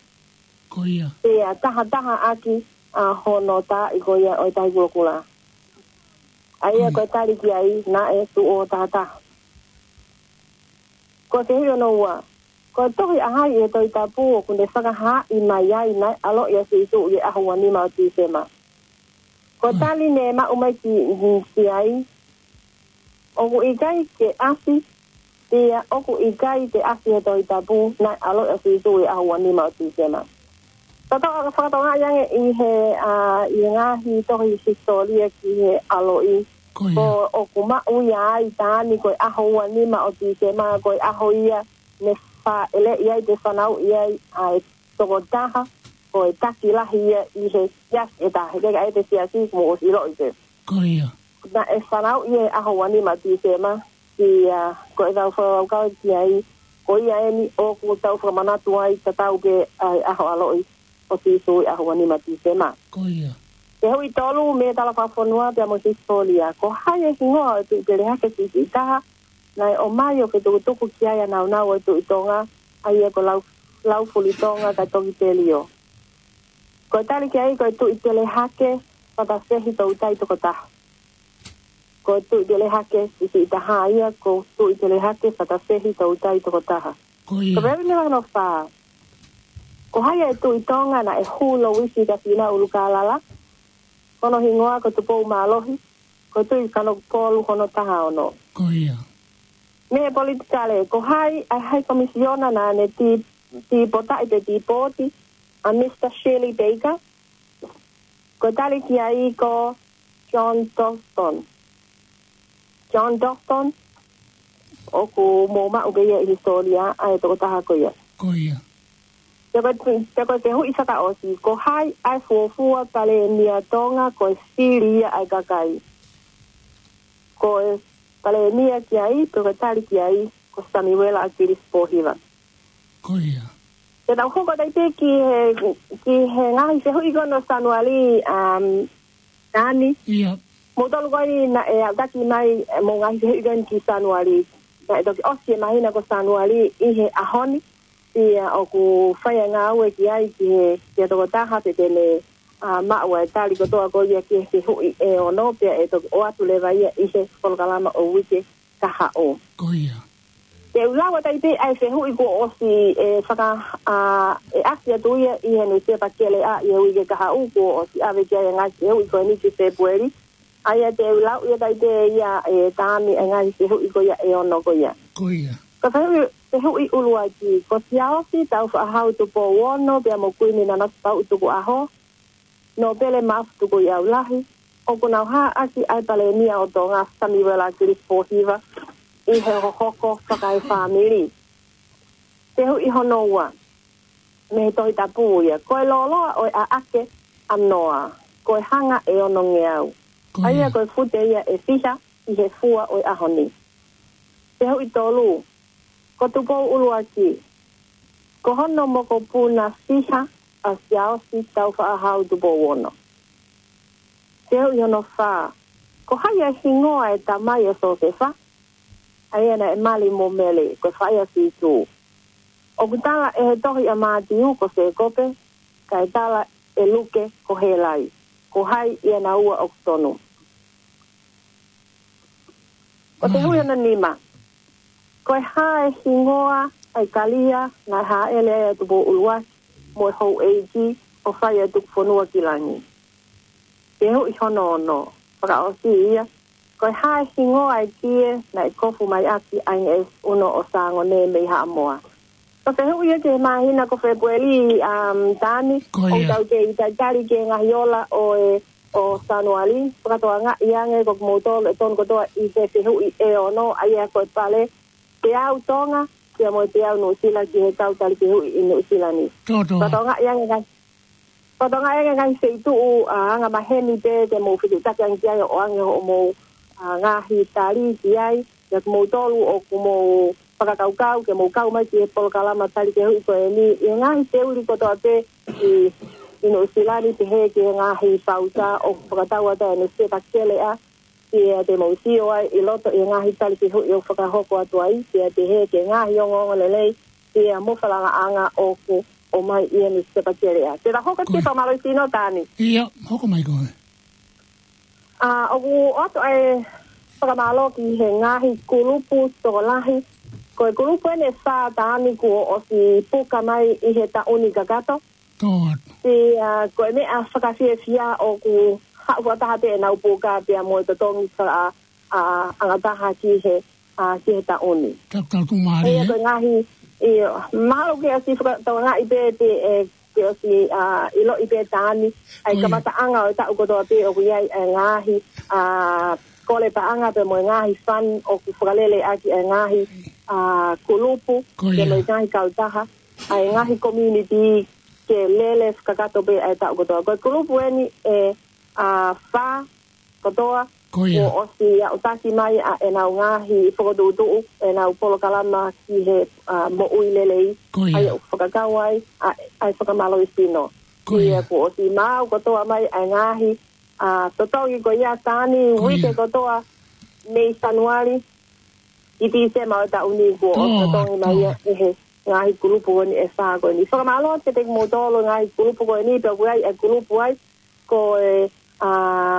Pea tahataha ʻaki ʻa hono taaʻi ko ia ʻo e Tahi Kulokula. ʻA ia ko e tali ki ai, naʻe tuʻo tahataha. Ko e fehuʻi hono ua: Ko e tohi ʻa hai ʻi he Tohi Tapu ʻoku ne fakahaaʻi mai ai naʻe ʻaloʻi ʻa Sīsū ʻi he ʻaho ua nima ʻo Tīsema? Ko e tali ne maʻu mai ki, ki ai, ʻoku ʻikai ke ʻasi, pea ʻoku ʻikai ke ʻasi he Tohi Tapu naʻe ʻaloʻi ʻa Sīsū ʻi he ʻaho ua nima ʻo Tīsema. Tau fakatokangaʻi ange ʻi he, ʻa, ʻi he ngaahi tohi hisitōlia ki he ʻaloʻi, ko ʻoku maʻu ia ai Tani ko e ʻaho ua nima ʻo Tīsema, ko e ʻaho ia ne fāʻeleʻi ai pe fanauʻi ai ʻa e tokotaha ko e taki lahi ia ʻi he siasi ʻe taha. He ʻikai ke ʻi ai pē siasi, kuo mou ʻosi ʻiloʻi pē. Naʻe fanauʻi ia he ʻaho ua nima Tīsema, pea ko ʻetau fakakaukau ki ai, ko ia eni ʻoku tau fakamanatu ai tatau pē ʻa e ʻaho ʻaloʻi ʻo Sīsū ʻi he ʻaho ua nima Tīsema. Fehuʻi tolu mei he tala fakafonua pea mo e hisitōlia: Ko hai e hingoa ʻo e Tuʻi Pelehake siʻisiʻi taha naʻe ʻomai ʻo fetukutuku ki ai ʻa e nāunau ʻo e Tuʻi Tonga, ʻa ia ko Lau-, Laufuli Tonga kae toki Pelio? Ko e tali ki ai, ko e Tuʻi Pelehake Fatasehi Toutai Tokotaha. Ko e Tuʻi Pelehake siʻisiʻi taha ia ko Tuʻi Pelehake Fatasehi Toutai Tokotaha. Ko e fehuʻi hono fā: Ko hai e Tuʻi Tonga naʻe hū Louisi kia Fīnau ʻUlukālala? Ko hono hingoa ko Tupou Mālohi, ko e Tuʻi Kanokupolu hono taha ono. Mei he politikale: Ko hai ʻa e High Commissioner naʻa ne tī-, tīpotaʻi pe tīpoti ʻa Mister Shirley Baker? Ko e tali ki ai ko John Dalston. John Dalston, ʻoku mou maʻu pē ia ʻi he hisitōlia ʻa e tokotaha ko ia. Pea ko e, pea ko e fehuʻi fakaʻosi: Ko hai ʻa e fuofua Palēmia Tonga ko e fili ia ʻa e kakai? Ko e Palēmia ki ai, pe ko e tali ki ai, ko Samiuela ʻAkilisi Pōhiva. Te tau hoko atu pē ki he, ki he ngaahi fehuʻi ko eni ʻo Sānuali, um, Tani. Moutolu ko eni naʻe aʻutaki mai, ʻemou ngaahi fehuʻi ko eni ki Sānuali. Naʻe toki ʻosi e māhina ko Sānuali ʻi he ʻaho ni, pea ʻoku fai e ngāue ki ai ki he, ki he tokotaha pea te ne, ʻa, maʻu ʻa e tali kotoa ko ia ki he fehuʻi ʻe ono, pea ʻe toki ʻoatu leva ia ʻi he polokalama ʻo e uike kahaʻu. Te u lau atu pē ʻa e fehuʻi kuo ʻosi e faka-, ʻa, e ʻasi atu ia ʻi he nusipepa Keleʻa ʻi he uike kahaʻu, kuo ʻosi ʻave ki ai e ngaahi fehuʻi ko eni ki Fēpueli. ʻA ia te u lau ia atu pē ia ʻe Tani e ngaahi fehuʻi ko ia ʻe ono ko ia. Ko e fehuʻi, fehuʻi ʻuluaki: Ko Siaosi Taufaʻāhau Tupou Ono pea mo Kuini Nanasipauʻu Tukuʻaho, Nōpele Maʻafu Tukuʻiʻaulahi, ʻoku nau hā ʻaki ʻa e Palēmia ʻo Tonga, Samiuela ʻAkilisi Pōhiva, ʻi he hohoko fakaefāmili. Fehuʻi hono ua, mei he Tohi Tapu ia: Ko e lōloa ʻo e ʻaʻake ʻa Noa, ko e hanga ʻe onongeau? ʻA ia ko e fute ia ʻe fiha ʻi he fua ʻo e ʻaho ni. Fehuʻi tolu: Ko Tupou ʻUluaki, ko hono mokopuna fiha ʻa Siaosi Taufaʻāhau Tupou Ono? Fehuʻi hono fā: Ko hai e hingoa e tamai ʻo Siosefa, ʻa ia naʻe mali mo Mele, ko e faʻē ʻa Sīsū? ʻOku tala ʻe he tohi ʻa Mātiu ko Sēkope, kae tala ʻe Luke ko Hēlai. Ko hai ʻia naua ʻoku tonu? Ko e fehuʻi hono nima: Ko e hā e hingoa ʻa e kalia naʻe hāʻele ai ʻa Tupou ʻUluaki mo e houʻeiki ʻo fai e tuku fonua ki langi. Fehuʻi hono ono, fakaʻosi ia, ko e hā e hingoa e kie naʻe kofu mai ʻaki ʻa e ngeʻesi ʻuno ʻo Sāngone mei Haʻamoa? Ko e fehuʻi ia ki he māhina ko Fēpueli, um, Tani, Ko ʻoku ia. tau kei talitali ki he ngaahi ola ʻo e, ʻo Sānuali, fakatokangaʻi ange ko kimoutolu ʻe tonu kotoa ʻi he fehuʻi ʻe ono, ʻa ia ko e pale, teau Tonga, pea mo e teau Nuʻusila ki he kau tali fehuʻi ʻi Nuʻusila ni. Tō, tō. Fakatokangaʻi ange ngaahi Fakatokangaʻi ange ngaahi feituʻu, ʻa, anga maheni pē te mou fetuʻutaki ange ki ai ʻo ʻoange hoʻomou, ʻa, ngaahi tali ki ai, ʻa kimoutolu ʻoku mou fakakaukau, ke mou kau mai ki he polokalama tali fehuʻi ko eni, ʻi he ngaahi teuli kotoa pē ʻi, ʻi Nuʻusila ni pehē ki he ngaahi pauta ʻoku fakatau atu ʻa e Nuʻusila Kelea, pea te mou sio ai ʻi loto ʻi he ngaahi tali fehuʻi ʻoku fakahoko atu ai, pea pehē ki he ngaahi ongoongo lelei, pea mo e falangaʻanga ʻoku ʻomai ʻi he Nuʻusila Kelea. Te ta hoko ki he Ko ia. fakamālō sino Tani. ʻIo, hoko mai koe. ʻA, ʻoku ʻoatu ʻa e fakamālō ki he ngaahi kulupu tokolahi. Ko e kulupu eni ʻe fā Tani kuo ʻosi puka mai ʻi he taʻu ni kakato. Tō atu. Pea ko e meʻa fakafiefia ʻoku haʻu fakataha pē ʻenau puka pea mo e totongi faka-, ʻa, angataha ki he, ʻa, ki he taʻu ni. Tau, tau tu mālie, Pea ē? ko e ngaahi, ʻio, mahalo ke ʻosi fakatokangaʻi pē te, ʻe, ke ʻosi, ʻa, ʻiloʻi pē Tani, ʻa e Ko ia. kamataʻanga ʻo e taʻu kotoa pē ʻoku ʻi ai ʻa e ngaahi, ʻa, kole paʻanga pea mo e ngaahi fund ʻoku fakalele ʻaki ʻa e ngaahi, ʻa, kulupu, Ko pea mo ia. e ngaahi kautaha, ʻa e ngaahi community ke lele kakato pē ʻa e taʻu kotoa. Ko e kulupu eni ʻe, ʻa, fā kotoa, Ko ia. kuo ʻosi aʻutaki mai ʻa ʻenau ngaahi fokotuʻutuʻu, ʻenau polokalama ki he, ʻa, moʻui lelei, Ko ia. ʻa ia ʻoku fakakau ai, ʻa, ʻa e fakamālō sino. Ko ia. Pea kuo ʻosi maau kotoa mai ʻa e ngaahi, ʻa, totongi ko ia Tani Ko uike ia. kotoa mei Sānuali, ʻi Tīsema ʻo e taʻu ni kuo Tō atu, totongi mai tō ia atu. ʻe he ngaahi kulupu ko eni ʻe fā ko eni. Fakamālō atu kiate kimoutolu ngaahi kulupu ko eni, pea ʻoku ʻi ai e kulupu ai, ko e, ʻa,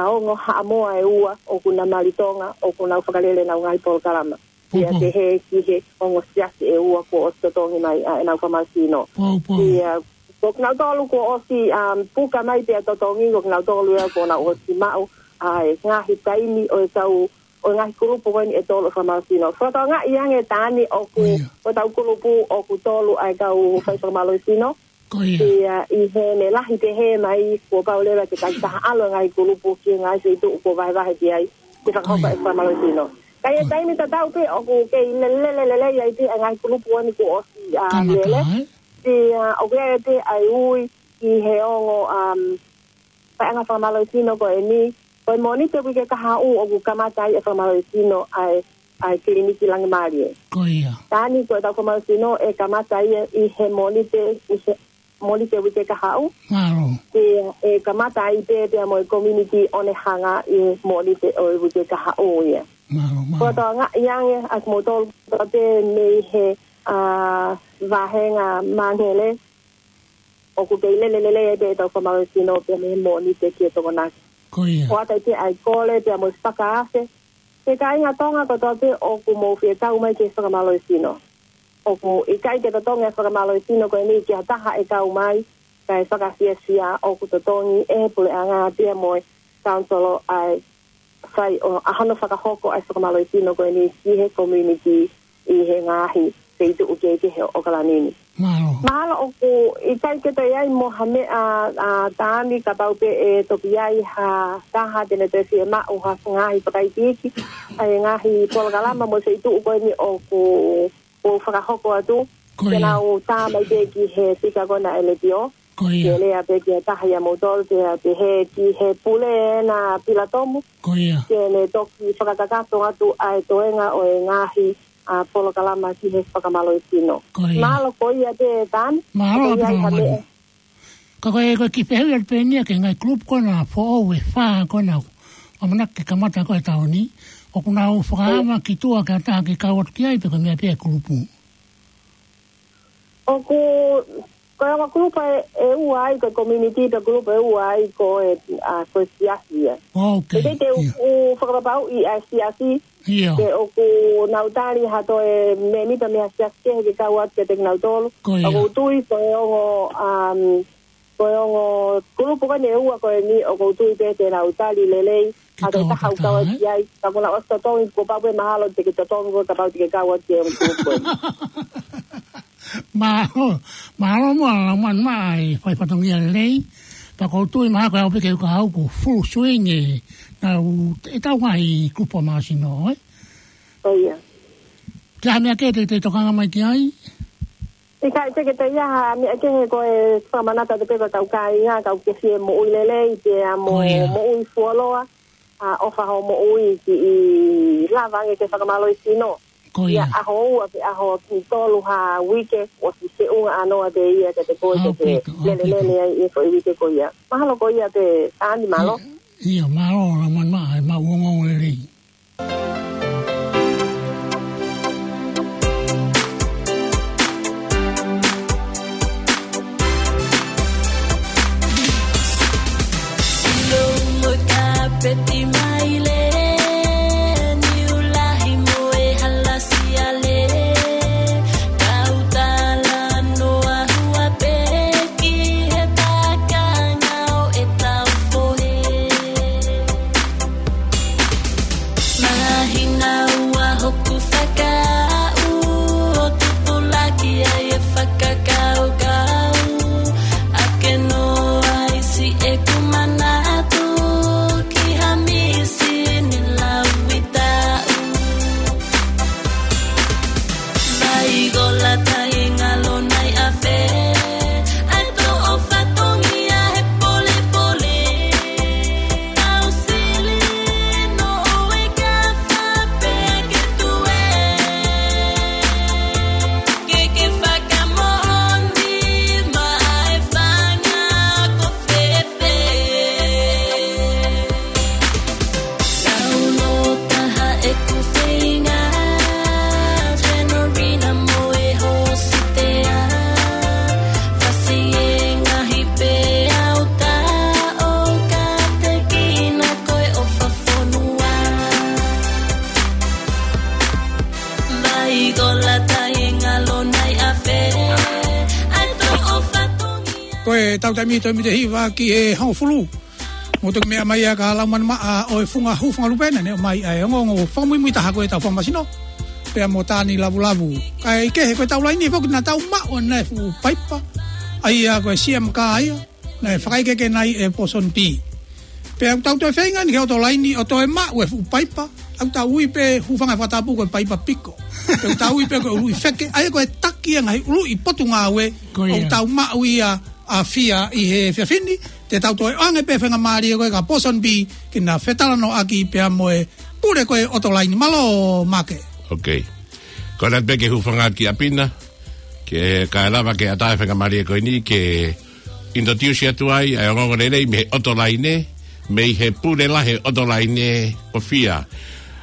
ongo Haʻamoa ʻe ua, ʻoku na mali Tonga, ʻoku nau fakalele ʻenau ngaahi polokalama. Pea Pōpō. pehē ki he ongo siasi ʻe ua kuo ʻosi totongi mai ʻa ʻenau fakamālō sino. Pōpō. Pea, ko kinautolu kuo ʻosi, um, puka mai pea totongi, ko kinautolu ia kuo nau ʻosi maʻu, ʻa e ngaahi taimi ʻo e tau ʻo e ngaahi kulupu ko eni ʻe tolu ʻo fakamālō sino. Fakatokangaʻi ange Tani ʻoku, Ko ia. ko e tau kulupu ʻoku tolu ʻa e kau fai fakamālō sino. Ko ia. Pea ʻi heʻene lahi pehē mai kuo pau leva ke takitaha ʻalu e ngaahi kulupu ki he ngaahi feituʻu kuo vahevahe ki ai, ke fakahoko Ko ia. e fakamālō sino. Ka ʻi he Ko ia. taimi tatau pē ʻoku kei lele, lele, lele ai pē ʻa e ngaahi kulupu ko eni kuo ʻosi, ʻa, Kamata, lele. ē? Pea ʻoku ʻi ai pē ʻa e ui ki he ongo, um, paʻanga fakamālō sino ko eni, ko e Mōnite uike kahaʻu ʻoku kamata ai e fakamālō sino ʻa e, ʻa e kiliniki Langimālie. Ko ia. Tani ko e tau fakamālō sino ʻe kamata ai ʻi he Mōnite, ʻi he Mōnite uike kahaʻu. Mālō. Pea ʻe kamata ai pē, pea mo e community ʻo ne hanga ʻi he Mōnite ʻo e uike kahaʻu ia. Mālō, mālō. Fakatokangaʻi ange ʻa kimoutolu pē mei he, ʻa, vāhenga Māngele, ʻoku kei lele lelei ai pē ʻetau fakamālō sino pea mei he Mōnite ki he Tokonaki. Ko ia. ʻOatu ai pē ʻa e kole pea mo e fakaafe ki he kāinga Tonga kotoa pē ʻoku mou fie kau mai ki he fakamālō sino. ʻOku ʻikai ke totongi e fakamālō sino ko eni ki ha taha ʻe kau mai, kae fakafiefia ʻoku totongi ʻe he puleʻanga pea mo e council ʻa e fai ʻo ʻa hono fakahoko ʻa e fakamālō sino ko eni ki he community ʻi he ngaahi feituʻu kehekehe ʻo ʻAokalani ni. Mālō. Mahalo ʻoku ʻikai ke toe ʻi ai mo ha meʻa, ʻa, Tani, kapau pē ʻe toki ʻi ai ha taha te ne toe fiemaʻu ha ngaahi fakaikiiki ʻa e ngaahi polokalama mo e feituʻu ko eni ʻoku, ʻoku fakahoko atu. Ko ia. Ke nau tā mai pē ki he fika ko ena ʻa e letiō. Ko ia. Ke lea pē ki he taha ʻia moutolu, pea pehē ki he pule ena Pilatomu. Ko ia. Ke ne toki fakakakato atu ʻa e toenga ʻo e ngaahi, ʻa, polokalama ki he fakamālō sino. Ko ia. Mahalo ko ia pē Tani. Mahalo Ko ia ʻaupito ha Mani. meʻa. Ka ko e, ko e kiʻi fehuʻi atu pē eni ia ki he ngaahi kulupu ko ena foʻou ʻe fā ko ena ʻamanaki ke kamata ko e taʻu ni. ʻOku nau fakaʻama ki tuʻa ki ha taha ke kau atu ki ai pe ko e meʻa pē ʻa e kulupu. ʻOku, ko e ongo kulupu ʻe, ʻe ua ai, ko e community pea kulupu ʻe ua ai, ko e, ʻa, ko e siasi ia. ʻOku ʻikai te u, ʻIo. u fakapapauʻi ʻa e siasi, ʻIo. pe ʻoku nau tali ha toe mēmipa mei ha siasi kehe ke kau atu kiate kinautolu. Ko ia. ʻOku ou tui ko e ongo, um, Ko e ongo kulupu ko eni ʻe ua ko eni ʻoku ou tui pē te nau tali lelei, Ke a ke kau taha ʻo kau atu ai, ka ko e ʻosi totongi, kuo pau pē mahalo te ke totongi ko e kapau te ke kau atu ki he ongo kulupu ko eni. Mālō, mālō muʻa Laumanimaʻa e fai fatongia lelei, pea ʻoku ou tui mahalo ko e ʻaho pē ke u ka au ko e full swing ē, naʻa tau ngaahi kupu ʻa māsino, ē? ʻIo. Ke ʻi ai ha meʻa kehe te, te tokanga mai ki ai? ʻIkai, te ke te ia ha meʻa kehe ko e fakamanatu atu pē ko e kau kāinga, kau ke fie moʻui lelei, pea mo moʻui fuoloa, ʻa ʻofa hoʻo moʻui ki he lava ange ke fakamālohisino. Ko ia. ʻAho ua pe ʻaho ki tolu ha uike, ʻosi feʻunga ʻanoa pē ia ke te koe ke te lelelele ai ʻi he foʻi uike ko ia. Mahalo ko ia pē, Tani, mālō. ʻIo, mālō Laumanimaʻa, e maʻu ongoongo lelei. Ilo mo e kapeti maile, niu lahi mo e hala siale, kau talanoa hua pē ki he pakanga ʻo ʻetau fohe. Mahino ua hoku fakaʻu ʻo tupulaki ai e fakakaukau, ʻa ke noa ʻi siʻeku manatu ki ha misini lauʻi taʻu. Mai gola tai ngalo nai afe, ai to o fatongia he polepole. Au sili no o e ka fa pe ke tue. Ke ke fakamoʻoni mai fanga ko fefe. Tau nō taha ʻeku feinga, Senorina mo e hōsitea. Fasi e ngaahi pē au ta o ka te kina ko e ʻofa fonua. Mai gola tai ngalo nai afe, ai to o fatongia. Ko e tau taimi toe mite hiva ki he hongofulu. Mo toki meʻa mai ʻa ka Laumanimaʻa ʻo e funga hū funga lupe naʻa ne ʻomai ʻa e ongoongo fakamuimui taha ko e tau fakamasino. Pea mo Tani Lavulavu. Kae kehe ko e tau laini foki naʻa tau maʻu ʻa e fuʻu paipa. ʻA ia ko e C M ka ia. Naʻe fakaʻikeke nai e Pōsoni Pī. Pea ʻoku tau toe feinga ni ke ʻoto laini ʻo toe maʻu e fuʻu paipa. ʻOku tau ui pē hūfanga he fakatapu ko e paipa piko. Pea ʻoku tau ui pē ko e ului feke. ʻA ia ko e taki ʻa e ngaahi ului potungāue. Ko ia. ʻOku tau maʻu ia ʻa Fia ʻi he efiafi ni, te tau toe ʻoange pē faingamālie ko e ka Pōsoni Pī, ke na fetalanoaʻaki pea mo e pule ko e ʻoto laini. Mālō, Maʻake. Ok. Ko ena pē ke hūfanga ki ʻapi na, ke ka lava ke ʻatā e faingamālie ko eni, ke introduce atu ai, ʻa e ongoongo lelei mei he ʻoto laini, mei he pule lahi ʻoto laini ʻo Fia.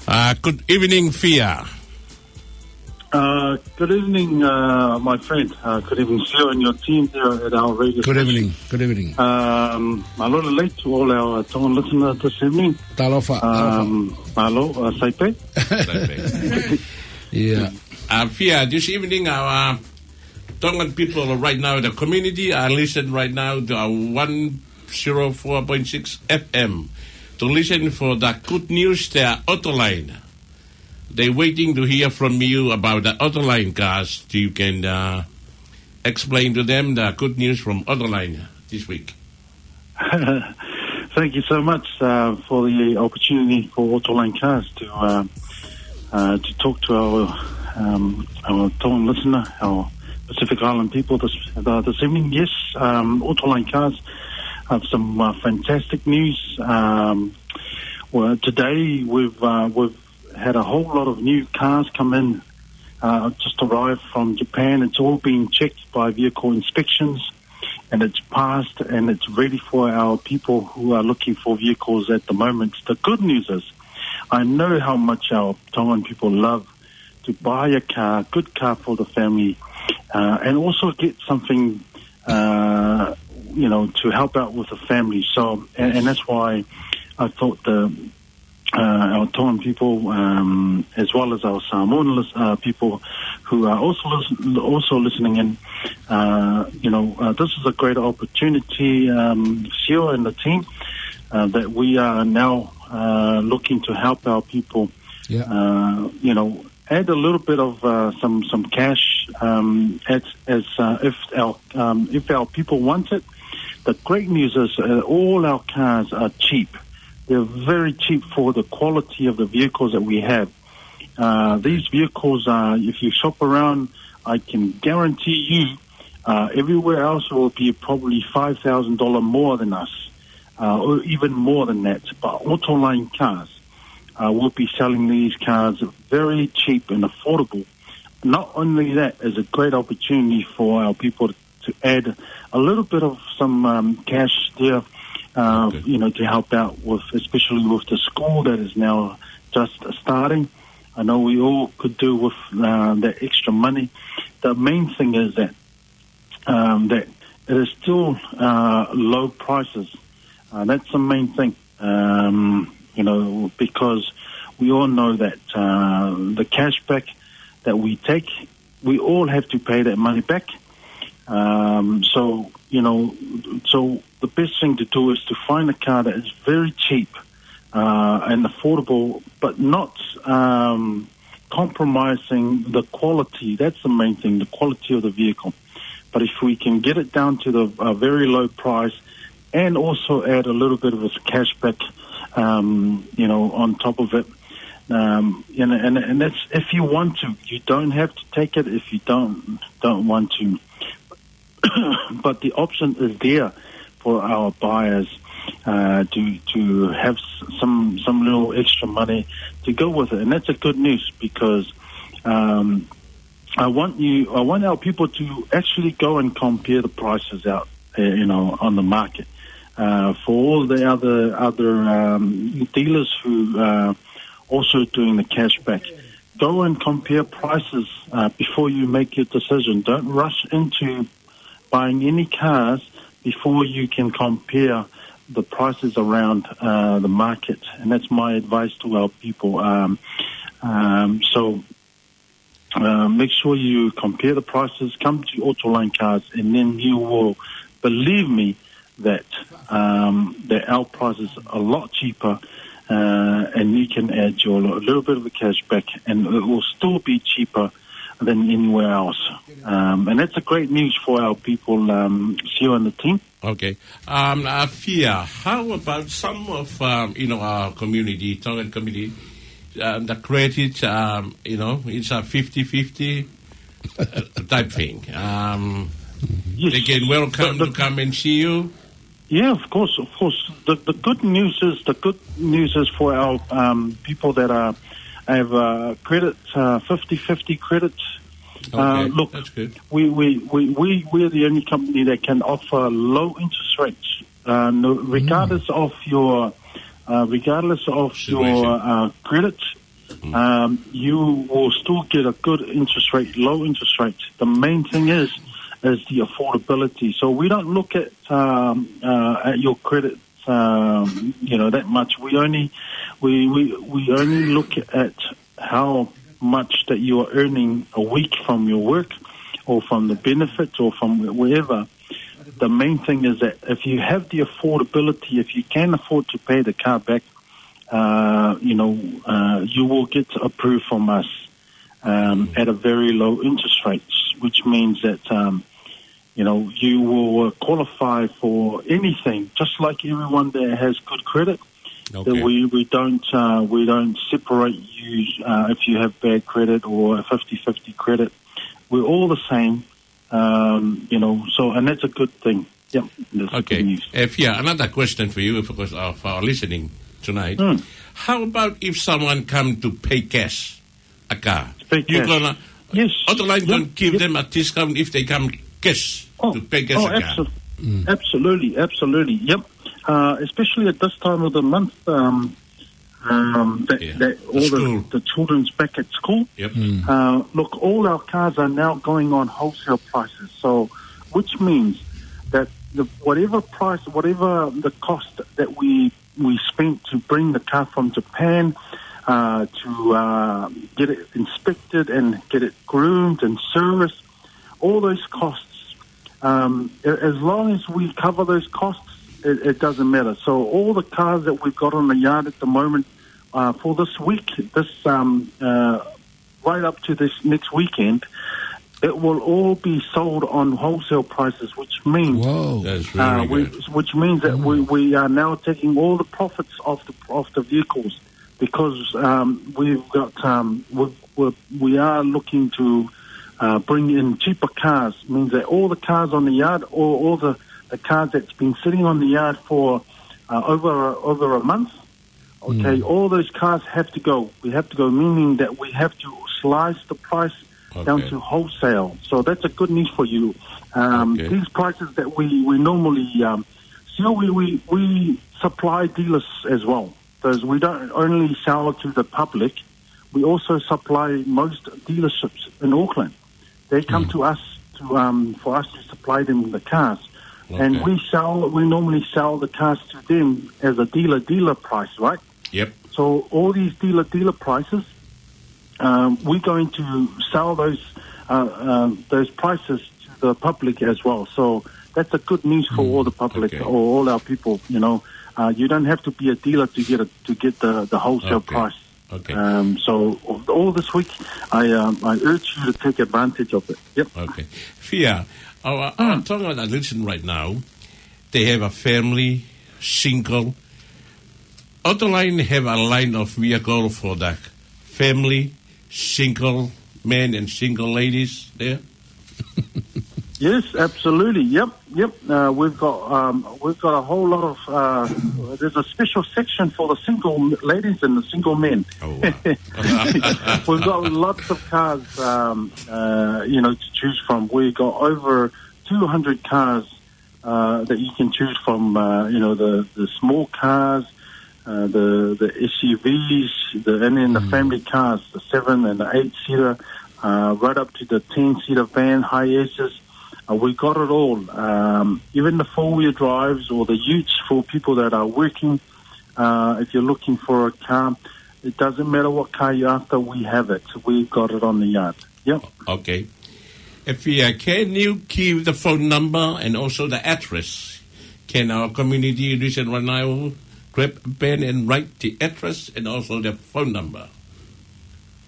Uh, good evening, Fia. Uh, good evening, uh, my friend. Uh, good evening, Sio, and your team there at our radio Good station. Evening. Good evening. Um, mālō lelei to all our, uh, Tongan listeners this evening. Talofa, talofa. Um, mālō, uh, Saipe. Saipe. Yeah. Uh, Fia, this evening our, uh, Tongan people are right now in the community are listening right now to our one zero four point six F M to listen for the good news there, ʻoto laini. They're waiting to hear from you about the ʻoto laini cast. You can, uh, explain to them the good news from ʻoto laini this week. Thank you so much, uh, for the opportunity for ʻoto laini cast to, uh, uh, to talk to our, um, our Tongan listener, our Pacific Island people this, uh, this evening. Yes, um, ʻoto laini cast have some, uh, fantastic news. Um, well, today we've, uh, we've had a whole lot of new cars come in, uh, just arrived from Japan. It's all been checked by vehicle inspections, and it's passed, and it's ready for our people who are looking for vehicles at the moment. The good news is, I know how much our Tongan people love to buy a car, good car for the family, uh, and also get something, uh, you know, to help out with the family. So, and, and that's why I thought the uh, our Tongan people, um, as well as our Samoan lis-, uh, people who are also listen, also listening in, uh, you know, uh, this is a great opportunity, um, Sio and the team, uh, that we are now uh, looking to help our people, Yeah. uh, you know, add a little bit of uh, some some cash um, as as uh, if our um, if our people want it. The great news is uh, all our cars are cheap. They're very cheap for the quality of the vehicles that we have. Uh, these vehicles are, if you shop around, I can guarantee you, uh, everywhere else will be probably five thousand dollar more than us, uh, or even more than that. But Autoline cars uh, will be selling these cars very cheap and affordable. Not only that, it's a great opportunity for our people to add a little bit of some um, cash there, uh, Good. you know, to help out with, especially with the school that is now just starting. I know we all could do with uh, that extra money. The main thing is that um, that it is still uh, low prices. Uh, that's the main thing, um, you know, because we all know that uh, the cashback that we take, we all have to pay that money back. Um, so, you know, so the best thing to do is to find a car that is very cheap uh, and affordable, but not um, compromising the quality. That's the main thing, the quality of the vehicle. But if we can get it down to the a very low price and also add a little bit of a cashback, um, you know, on top of it, um, and, and and that's if you want to. You don't have to take it if you don't don't want to. But the option is there for our buyers uh, to to have s- some some little extra money to go with it, and that's a good news because um, I want you I want our people to actually go and compare the prices out, uh, you know, on the market. Uh, for all the other other um, dealers who are also doing the cashback, go and compare prices uh, before you make your decision. Don't rush into buying any cars before you can compare the prices around uh, the market. And that's my advice to our people. Um, um, so uh, make sure you compare the prices, come to Autoline Cars, and then you will believe me that um, that our price is a lot cheaper, uh, and you can add your a little bit of a cash back, and it will still be cheaper than anywhere else. Um, and that's a great news for our people, um, Sio and the team. Okay. Um, Afia, how about some of, um, you know, our community, Tongan community, um, the credit, um, you know, it's a fifty-fifty uh, type thing. Um, Yes. They can welcome The- to come and see you. Yeah, of course, of course. The, the good news is the good news is for our um, people that are have uh, credit uh, fifty fifty credit. Uh, Okay, look, that's good. we we we we we're the only company that can offer low interest rates, uh, no, regardless of your uh, regardless of Situation. your uh, credit. Um, you will still get a good interest rate, low interest rate. The main thing is is the affordability. So we don't look at um, uh, at your credit, um, you know, that much. We only we, we we only look at how much that you are earning a week from your work, or from the benefits, or from wherever. The main thing is that if you have the affordability, if you can afford to pay the car back, uh, you know, uh, you will get approved from us um, at a very low interest rates, which means that um, you know you will uh, qualify for anything, just like everyone that has good credit. Okay. That we we don't uh, we don't separate you uh, if you have bad credit or a fifty-fifty credit. We're all the same, um, you know. So and that's a good thing. Yep. That's Okay. Good news. If yeah, another question for you, of course, uh, for our listening tonight. Hmm. How about if someone come to pay cash a car? Pay You're cash. gonna Yes. Autoline Yep. Don't give Yep. them a discount if they come cash Oh, to pay cash oh, a car. Absolutely, absolutely, absolutely. Yep. Uh, especially at this time of the month, um, um, that, Yeah. that The all school. the, the children's back at school. Yep. Uh, look, all our cars are now going on wholesale prices. So, which means that the, whatever price, whatever the cost that we we spent to bring the car from Japan, uh, to uh, get it inspected and get it groomed and serviced, all those costs. Um, a- as long as we cover those costs, it, it doesn't matter. So all the cars that we've got on the yard at the moment uh, for this week, this um, uh, right up to this next weekend, it will all be sold on wholesale prices, which means Whoa. That's really uh, we, good. Which means that we, we are now taking all the profits of the of the vehicles because um, we've got um, we've, we're, we are looking to uh, bring in cheaper cars. Means that all the cars on the yard, or all the, the cars that's been sitting on the yard for uh, over over a month, okay, all those cars have to go. We have to go, meaning that we have to slice the price down Okay. to wholesale. So that's a good news for you. Um, Okay. These prices that we, we normally um, sell, we, we, we supply dealers as well. Because we don't only sell to the public, we also supply most dealerships in Auckland. They come to us to um, for us to supply them the cars. And Okay. we sell, we normally sell the cars to them as a dealer dealer price, right? Yep. So all these dealer dealer prices, um, we're going to sell those uh, uh, those prices to the public as well. So that's a good news for all the public Okay. or all our people. You know, uh, you don't have to be a dealer to get a, to get the, the wholesale Okay. price. Okay. Um, so all this week, I um, I urge you to take advantage of it. Yep. Okay. Fia, our, our Tonga that listen right now, they have a family, single. Other line have a line of vehicle for the family, single men and single ladies there. Yes, absolutely. Yep, yep. Uh, we've got um, we've got a whole lot of. Uh, there's a special section for the single ladies and the single men. Oh, wow. We've got lots of cars, um, uh, you know, to choose from. We've got over two hundred cars uh, that you can choose from. Uh, you know, the, the small cars, uh, the the S U Vs, the, and then the family cars, the seven and the eight seater, uh, right up to the ten seater van, Hiaces. Uh, we got it all. Um, even the four wheel drives or the utes for people that are working. Uh, if you're looking for a car, it doesn't matter what car you're after, we have it. We've got it on the yard. Yep. Okay. If you uh, can you give the phone number and also the address? Can our community listen right now? Grab a pen and write the address and also the phone number.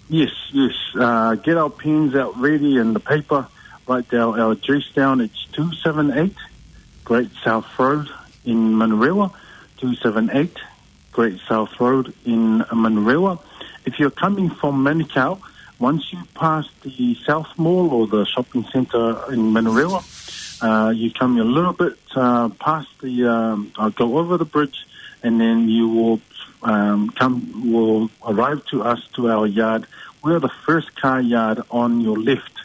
Yes, yes. Uh, get our pens out ready and the paper. Write our, our address down. It's two seven eight Great South Road in Manurewa. Two seven eight Great South Road in Manurewa. If you're coming from Manukau, once you pass the South Mall or the shopping centre in Manurewa, uh, you come a little bit uh, past the, um, uh, go over the bridge, and then you will um, come, will arrive to us, to our yard. We're the first car yard on your left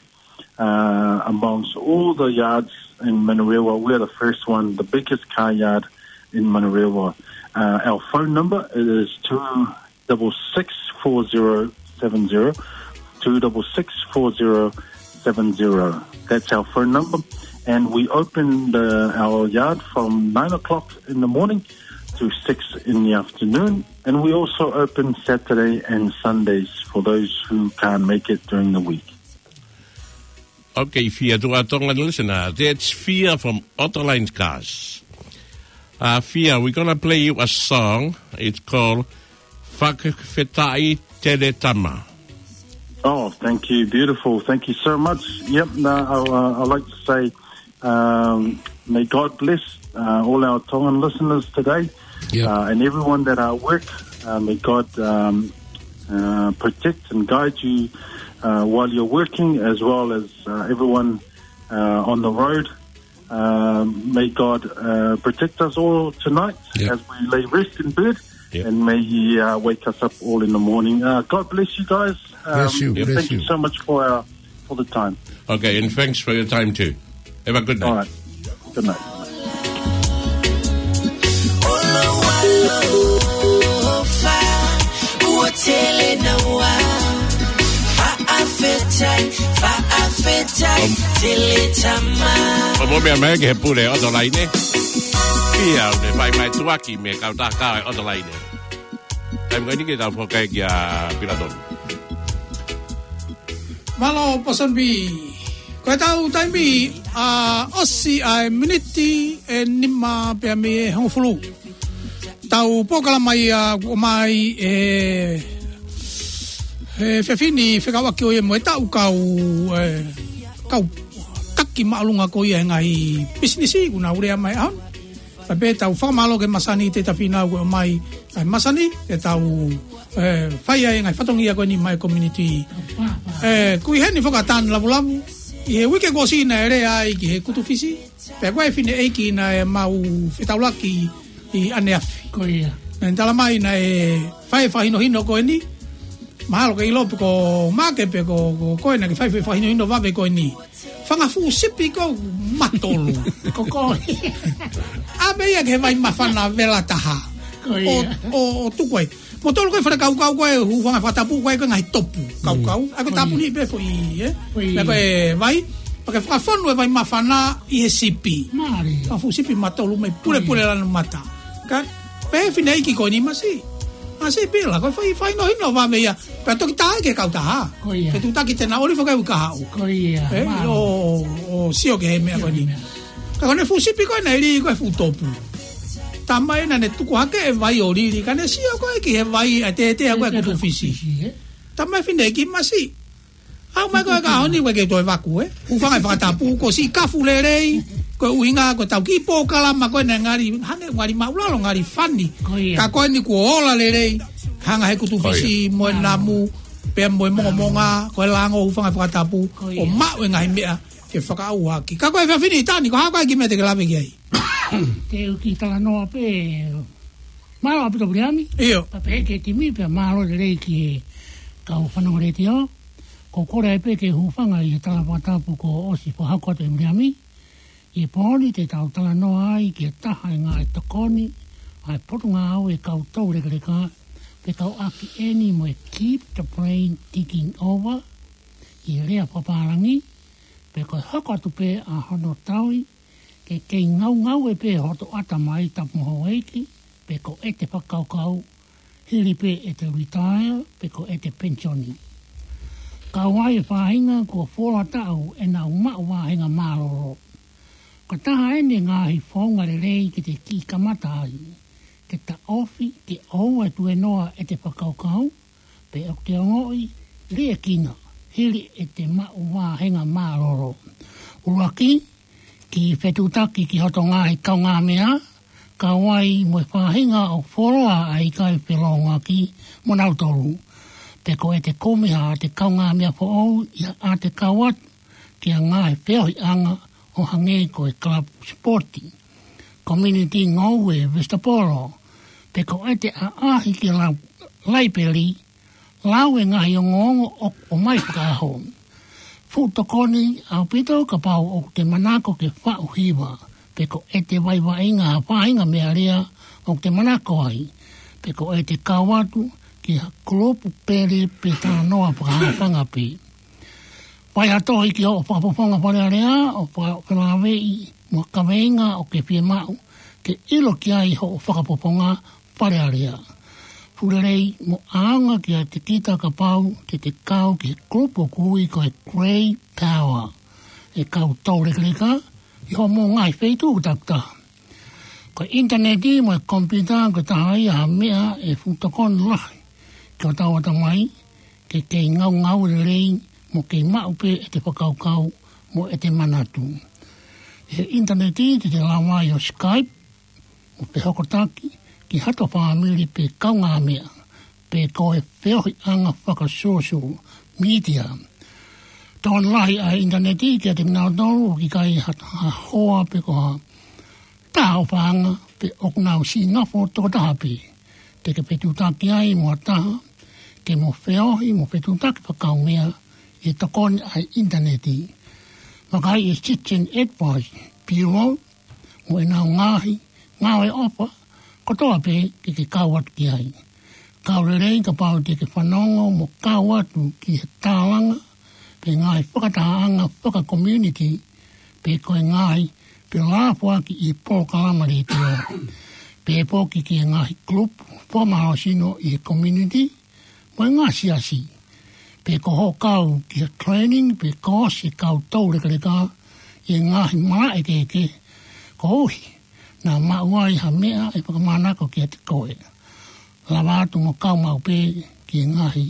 uh, amongst all the yards in Manurewa. We're the first one, the biggest car yard in Manurewa. Uh, our phone number is two double six four zero seven zero, two double six four zero seven zero. That's our phone number. And we open the, our yard from nine o'clock in the morning to six in the afternoon. And we also open Saturday and Sundays for those who can't make it during the week. Okay, Fia, to our Tongan listener, that's Fia from Otterline Cars. Uh, Fia, we're gonna play you a song. It's called Fakafetaʻi Tele Tama. Oh, thank you. Beautiful. Thank you so much. Yep, no, I, uh, I'd like to say um, may God bless uh, all our Tongan listeners today. Yep. Uh, and everyone that are at work, uh, may God um, uh, protect and guide you uh, while you're working, as well as uh, everyone uh, on the road. Um, may God uh, protect us all tonight Yep. as we lay rest in bed, Yep. and may He uh, wake us up all in the morning. Uh, God bless you guys. Um, Bless you, bless thank you you. so much for our for the time. Okay, and thanks for your time too. Have a good night. All right. Good night. Ua tele naua. Faʻafetai, faʻafetai, tele tama. ʻO mo mea mai ke he pule ʻo Otolaine. Pea ʻoku ne fai mai tuaki mei he kautaha ʻo Otolaine. Taimi ko eni ke tau fakakae kia Pilatoni. Mālō, Poson B. Ko e tau taimi, ʻa, ʻosi ʻa e miniti ʻe nima pea mei he hongofulu. Tau polokalama ia kuo ʻomai ʻe he efiafi ni fekauʻaki ʻo ia mo e tau kau, ʻe, kau taki māʻolunga ko ia he ngaahi pisinisi kuo nau lea mai ʻaho ni. Pea pē tau fakamālō ki he masani Tētafina kuo ʻomai ʻa e masani ke tau, ʻe, fai ai e ngaahi fatongia ko eni maʻa e community. ʻE, kui heni fakatan lavulavu. ʻI he uike kuo ʻosi naʻe lea ai ki he kutu Fisi. Pea ko e fineʻeiki naʻe mau fetaulaki ʻi ʻaneafi. Ko ia. Naʻe tala mai naʻe fai fakahinohino ko eni. Mahalo ke ʻilo pe ko Maʻake pe ko, ko, ko ena ke fai fakahinohino vave ko eni. Fanga fuʻu sipi ko matolu. Ko ko. ʻAve ia ki he vai māfana vela taha. Ko ia. ʻO, ʻo, ʻo tuku ai. Motolu ko e fale kaukau ko e hūfanga he fakatapu ko e ko e ngaahi topu. Kaukau. ʻA ko e tāpuni pē foʻi, ē? Ko ia. Pea ko e vai. Pea ke fakafonu e vai māfana ʻi he sipi. Mālie. Fanga fuʻu sipi matolu mai pulepule lanu mata. Ka, pehē fineʻeiki ko eni masiʻi. Masiʻi pila, ko e fai, fakahinohino vave ia. Pea toki tā ki he kautaha. Ko ia. Ke tutaki tena oli fakae ukahaʻu. Ko ia, ʻe, mālie. ʻO, ʻo sio ki he meʻa ko eni. Sio ki he meʻa. Ka ko ʻene fuʻu sipi ko ena ʻi he lī ko e fuʻu topu. Talamai naʻa ne tuku hake e vai ʻo lili, ka ne sio ko e ki he vai ʻa e tētē ko e kutu Fisi. Kutu Fisi, ē? Talamai fineʻeiki masiʻi. ʻAu mai ko e ka honi ko e ke toe vaku, ē? Hūfanga he fakatapu, ko e siʻi kafu lelei, ko e ʻuhinga, ko e tau kiʻi polokalama ko ena ngali, hane ngali māʻulalo ngali fani. Ko ia. Ka ko eni kuo ola lelei, hanga he kutu Fisi mo e namu, pea mo e mongomonga, ko e lango hūfanga he fakatapu, ko ia, ʻo maʻu e ngaahi meʻa ke fakaʻauha ʻaki. Ka ko e efiafi ni Tani, ko e hā koā e kiʻi meʻa te ke lave ki ai? Te u kiʻi talanoa pē, mālō ʻaupito Viliami. ʻIo. Pea pehē ki he timi, pea mālō lelei ki he kau fanongo letiō. Ko e kole ai pē ke hūfanga ʻi he tala fakatapu kuo ʻosi fakahoko atu ʻe Viliami. ʻI he pō ni te tau talanoa ai ki he taha e ngaahi tokoni ʻa e Potungāue Kau Toulekeleka, pe kau ʻaki eni mo e Keep the Brain Ticking Over, ʻi he lea fakapālangi, pe ko e hoko atu pē ʻa hono tauhi, ke kei ngaungaue pē hoto ʻatamai tapu mo houʻeiki, pe ko ʻete fakakaukau, hili pē ʻete retire, pe ko ʻete penisioni. Kau ai e faʻahinga kuo fuoloa taʻu ʻenau maʻu vāhenga mālōlō. Ko e taha eni e ngaahi founga lelei ke te kiʻi kamata ai, ke taʻofi, ke ʻoua ʻe tuēnoa ʻete fakakaukau, pe ʻoku te ongoʻi liʻekina, hili ʻete maʻu vāhenga mālōlō. ʻUluaki, kiʻi fetuʻutaki ki hoto ngaahi kaungāmeʻa, kau ai mo e faʻahinga ʻoku fuoloa ʻa e ʻikai felōngoaki mo nautolu. Pe ko ʻete kumi haʻate kaungāmeʻa foʻou ʻi haʻate kau atu ki ha ngaahi feohiʻanga ʻo hangē ko e kalapu sipoti, community ngoue, vesitapolo, pe ko ʻete ʻaʻahi ki he lau-, laipeli, lau e ngaahi ongoongo ʻoku ʻomai fakaʻaho. Fuʻu tokoni ʻaupito kapau ʻoku te manako ke faʻu hiva, pe ko ʻete vaevaeʻi ha faʻahinga meʻalea ʻoku te manako ai, pe ko ʻete kau atu ki ha kulupu pele pe talanoa fakahaʻafanga pē. Fai ha tohi ki hoʻo fakafofonga Fale Alea ʻo faka-, felāveʻi mo ha kaveinga ʻoku ke fiemaʻu ke ʻilo ki ai hoʻo fakafofonga Fale Alea. Fuʻu lelei mo ʻaonga kiate kita kapau te te kau ki he kulupu ʻoku ui ko e Grey Power, e kau toulekeleka, ʻi hoʻomou ngaahi feituʻu takitaha. Ko e ʻinitaneti mo e komipiuta ko e taha ia ha meʻa ʻe fuʻu tokoni lahi ki hotau ʻatamai, ke kei ngaungaue lelei mo kei maʻu pē ʻete fakakaukau mo ʻete manatu. ʻI he ʻinitaneti te te lava ai ʻo Skype, mo fehokotaki ki hato fāmili pe kaungāmeʻa, pe ko e feohiʻanga fakasōsiale mītia. Tokoni lahi ʻa e ʻinitaneti kiate kinautolu ʻoku ʻikai ha, ha hoa pe ko ha taha ʻofaʻanga pe ʻoku nau siʻi nofo tokotaha pē. Te ke fetuʻutaki ai mo ha taha ke mo feohi mo fetuʻutaki fakakaungāmeʻa ʻi he tokoni ʻa e ʻinitaneti. Vakai e Citizen Advice Bureau mo ʻenau ngaahi ngāue ʻofa kotoa pē ke ke kau atu ki ai. Kau lelei kapau te ke fanongo mo kau atu ki he tālanga pe ngaahi fakatahaʻanga fakakomiunitī, pe ko e ngaahi pē lāfuaki ʻi he polokalama letiō. Pehē foki ki he ngaahi kulupu fakamālohisino ʻi he community, mo e ngaahi siasi. Pe ko hoʻo kau ki he training, pe ko e siʻi kau toulekeleka, ʻi he ngaahi malaʻe kehekehe, koeʻuhi naʻa maʻu ai ha meʻa ʻe fakamānako kiate koe. Lava atu mo kau maʻu pē ki he ngaahi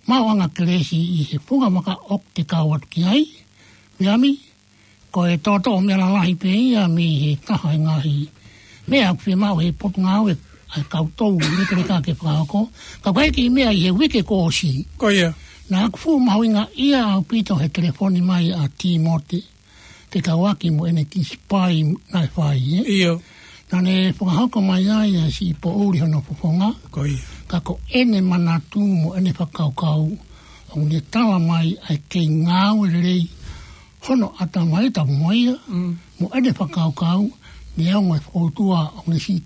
maʻuʻanga kelesi ʻi he funga vaka ʻoku te kau atu ki ai, Viliami, ko e toʻotoʻo meʻa lalahi pē ia mei he taha e ngaahi meʻa ʻoku fiemaʻu he potungāue ʻa e kau toulekeleka ke fakahoko. Ka ko e kiʻi meʻa ʻi he uike kuo ʻosi. Ko ia. Naʻa ku fuʻu mahuʻingaʻia ʻaupito he telefoni mai ʻa Tīmote Fekauʻaki mo ʻene kiʻi sipai naʻe fai, ē? ʻIo. Naʻa ne fakahoko mai ai ʻa e siʻi poʻuli hono fofonga. Ko ia. Ka ko ʻene manatu mo ʻene fakakaukau, ʻoku ne tala mai ʻa e kei ngāue lelei hono ʻatamai, tapu mo ia, Mm. mo ʻene fakakaukau, neongo e fokoutua ʻoku ne siʻi,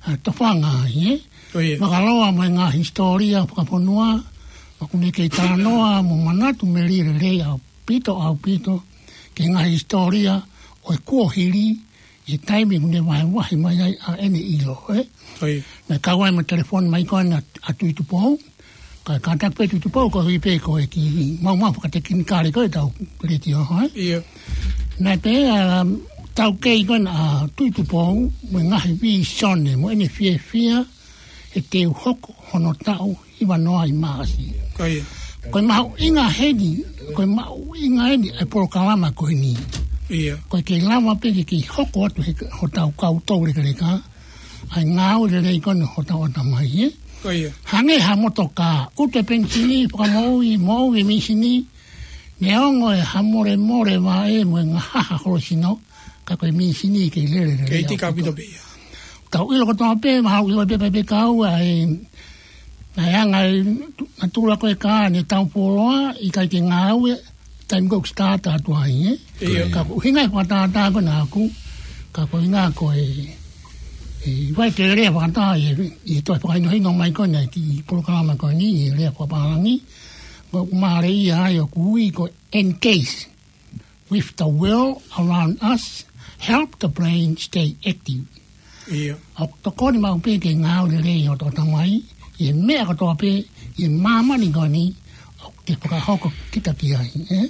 ʻa, tofanga ai, ē? Ko ia. Makaloa mo e ngaahi hisitōlia fakafonua, ʻoku ne kei talanoa mo manatu melie lelei ʻaupito, ʻaupito, ki he ngaahi hisitōlia ʻo e kuohili, ʻi he taimi ʻoku ne vahevahe mai ai ʻa ʻene ʻilo, ē? Ko ia. Naʻe kau ai mo e telefoni mai ko ena ʻa Tuʻi Tupou, ka, kātaki pē Tuʻi Tupou, ko e ʻuhi pē ko e kiʻi maumau fakatekinikale ko ē ʻetau letiō, ē? ʻIo. Naʻe pehē ʻa e taukei ko ena ʻa Tuʻi Tupou, mo e ngaahi vīsone, mo ʻene fiefia, he te u hoko hono taʻu hiva noa ʻi Maʻasi. Ko ia. Ko e mahuʻinga heni, ko e mahuʻinga heni ʻa e polokalama ko eni. ʻIo. Ko e kei lava pē ke kei hoko atu he hotau kau toulekeleka, ʻa e ngāue lelei ko ena hotau ʻatamai, ē? Ko ia. Hangē ha motokā, ʻutu e penisini, fakamoʻui, moʻui e mīsini, neongo e hamolemole vaʻe mo e ngahaha holosino, ka ko e mīsini kei lele lelei. Kei tika ʻaupito pē ia. Tau ʻilo kotoa pē, mahalo ʻilo pē pē pē kau ʻa e, ʻa e anga e tu-, natula ko e kā ne tau poloa, ʻikai ke ngāue, taimi ko ē ʻoku start atu ai, ē? ʻIo. Ka ko e ʻuhinga e fakatātā ko ena ʻaʻaku, ka ko e ʻuhinga ko e, ʻe ʻikai ke lea fakatātā ʻi he, ʻi he toe fakahinohino mai ko ena ki he polokalama ko eni, ʻi he lea fakapālangi, ko e mālie ia ai ʻoku ui ko e engage with the world around us, help the brain stay active. ʻIo. ʻOku tokoni maʻu pē ke ngāue lelei hotau ʻatamai, ʻi he meʻa kotoa pē, ʻi māmani ko eni, ʻoku te fakahoko kita ki ai, ē?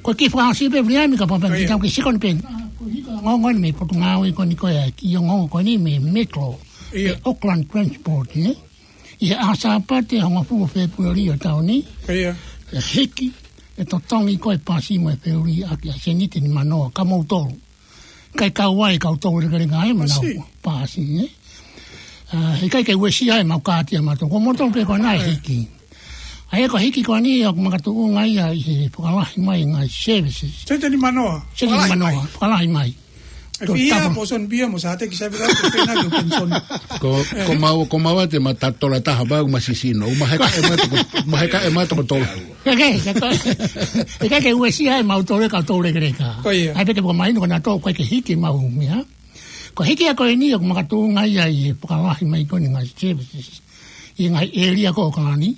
Ko e kiʻi fakaʻosi pē, Viliami, ka papa ʻIo. Kita ke sikoni pē. Ko e kiʻi ongoongo eni mei he potungāue ko eni ko e kiʻi ongoongo ko eni mei he Metro, ʻIo. mei he Auckland Transport, ē? ʻI he ʻaho Sāpate, hongofulu Fēpueli ʻo e taʻu ni. ʻIo. ʻE hiki, ʻe totongi ko e pasi mo e feuli ʻaki ʻa e sēniti nimanoa kia moutolu. Kae kau ai e kau toulekeleka ē mo ʻenau Pasi. pasi, ē? ʻA, he ʻikai ke uesia ʻemau kāti ʻamautolu. Ko moutolu pē ko ena ʻe ʻIo. hiki. ʻA ia ko e hiki ko eni ʻoku makatuʻunga ia ʻi he fakalahi mai e ngaahi services. Sēniti nimanoa. Sēniti Fakalahi nimanoa, mai. fakalahi mai. ʻE Ko fihia tapu. mo Soni Pia mo Sāteki Savila, ko e pena ke pension. Ko, ko mau, ko mau ʻa e mata tola taha pau ma sisino. Ma heka e mata ko, ma heka e mata ko tolu. Ke, ke, ke, ke, ke uesia ʻemautolu e kau toulekeleka. Ko ia. ʻAi pē ke puka mai, ko ena tō, ko e ke hiki mau mea. Ko e hiki ia ko eni ʻoku makatuʻunga ia ʻi he fakalahi mai ko eni e ngaahi services. ʻI he ngaahi ʻēlia ko ē ʻo Kalani.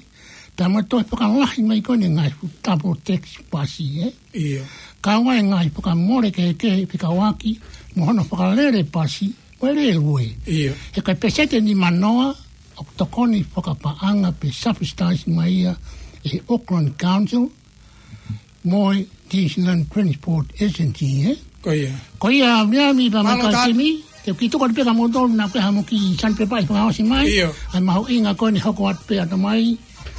Pea mo e toe fakalahi mai ko eni e ngaahi double deck pasi, ē? ʻIo. Kau ai e ngaahi fakamole kehekehe fekauʻaki mo hono fakalele pasi, mo e lēlue. ʻIo. He ko e pēseti nimanoa ʻoku tokoni fakapaʻanga pe subsidise mai ia ʻe he Auckland Council mo e New Zealand Transport Agency, ē? Ko ia. Ko ia, Viliami pea mo Mālō Taʻani. Kaitimi, te u kiʻi tuku atu pē kia moutolu naʻa ko e hā mo e kiʻi sandpaper ʻe fakaʻosi mai. ʻIo. ʻA e mahuʻinga ko eni hoko atu pē ʻatamai.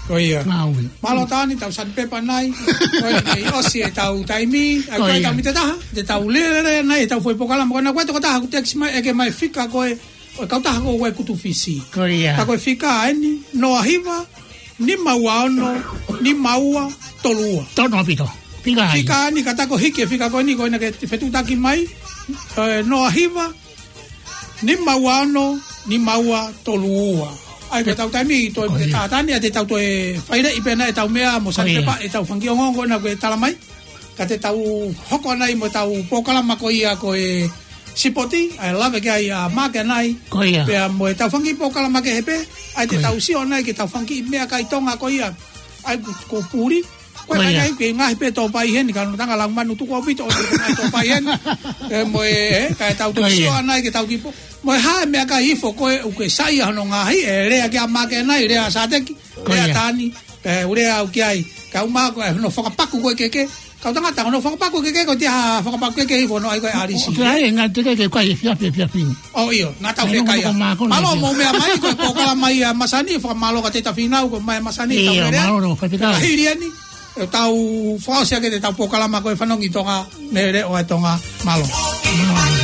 Ko ia. Ngāue. Mālō Taʻani, tau sandpaper nai. Ko eni ʻosi ʻetau taimi. ʻAi Ko ko e ia. tau mita taha, te tau lele nai ʻetau foʻi polokalama. Ko ena ko e tokotaha ʻoku text mai, ʻeke mai e fika ko ē ʻo e kautaha ko ē ʻo e Kutu Fisi. Ko ia. Ka ko e fika eni, noa hiva, nima ua ono, nima ua, tolu ua. Tonu ʻaupito. Fika ai. Fika eni, ka ta ko e hiki e fika ko eni, ko ena ke fetuʻutaki mai, ē, noa hiva, nima ua ono, nima ua, tolu ua. ʻAi ko ʻetau taimi, toe Ko ia. te tātani, ʻa te tau toe faileʻi pē ʻetau meʻa mo Ko ia. sandpaper, ʻetau fanga kiʻi ongoongo ko ena ko e tala mai. Ka te tau hoko nai mo ʻetau polokalama ko ia ko e sipoti, ʻa e lave ki ai ʻa Maka nai. Ko ia. Pea mo ʻetau fanga kiʻi polokalama kehe pē, ʻai te Ko ia. tau sio nai ki heʻetau fanga kiʻi meʻakai Tonga ko ia. ʻAi ko, ko Puli, Ko e Ko ia. Kai ke ngahi pē tōpai heni, ka nutanga lau manu tuku ʻaupito, ʻo te ngaahi tōpai heni. Ē, mo e, ē, kae tau Ko ia. Tokisio anai ke tau kipo. Mo e hā e meʻakai hifo ko ē ʻoku ke saiʻia hono ngahi, ē, lea ki a Make nai, lea Sateki, Ko lea ia. Tani, ē, ʻū lea au ki ai. Ka u mā ko e hono fakapaku ko ē keke. Kau tangata, hono fakapaku keke ko e tia fakapaku keke hifo hono ʻai ko e alisi. Ko e ʻai, ngā te ke ke kai e fiafi, e fiafi. ʻO ʻio, nā tau Ai, fie no, kai ko a. Mākona Mālō ia. Mo meʻa mai, ko e pōkalama ia masani, fakamālō ka te ta finau, ko mai masani, tau Ia, lea. Mālō, no, faifekau. Ka hili ani, ʻe tau fakaʻosi ake te tau pōkalama ko e fanongo ki Tonga, mele o e Tonga, mālō. Mālō.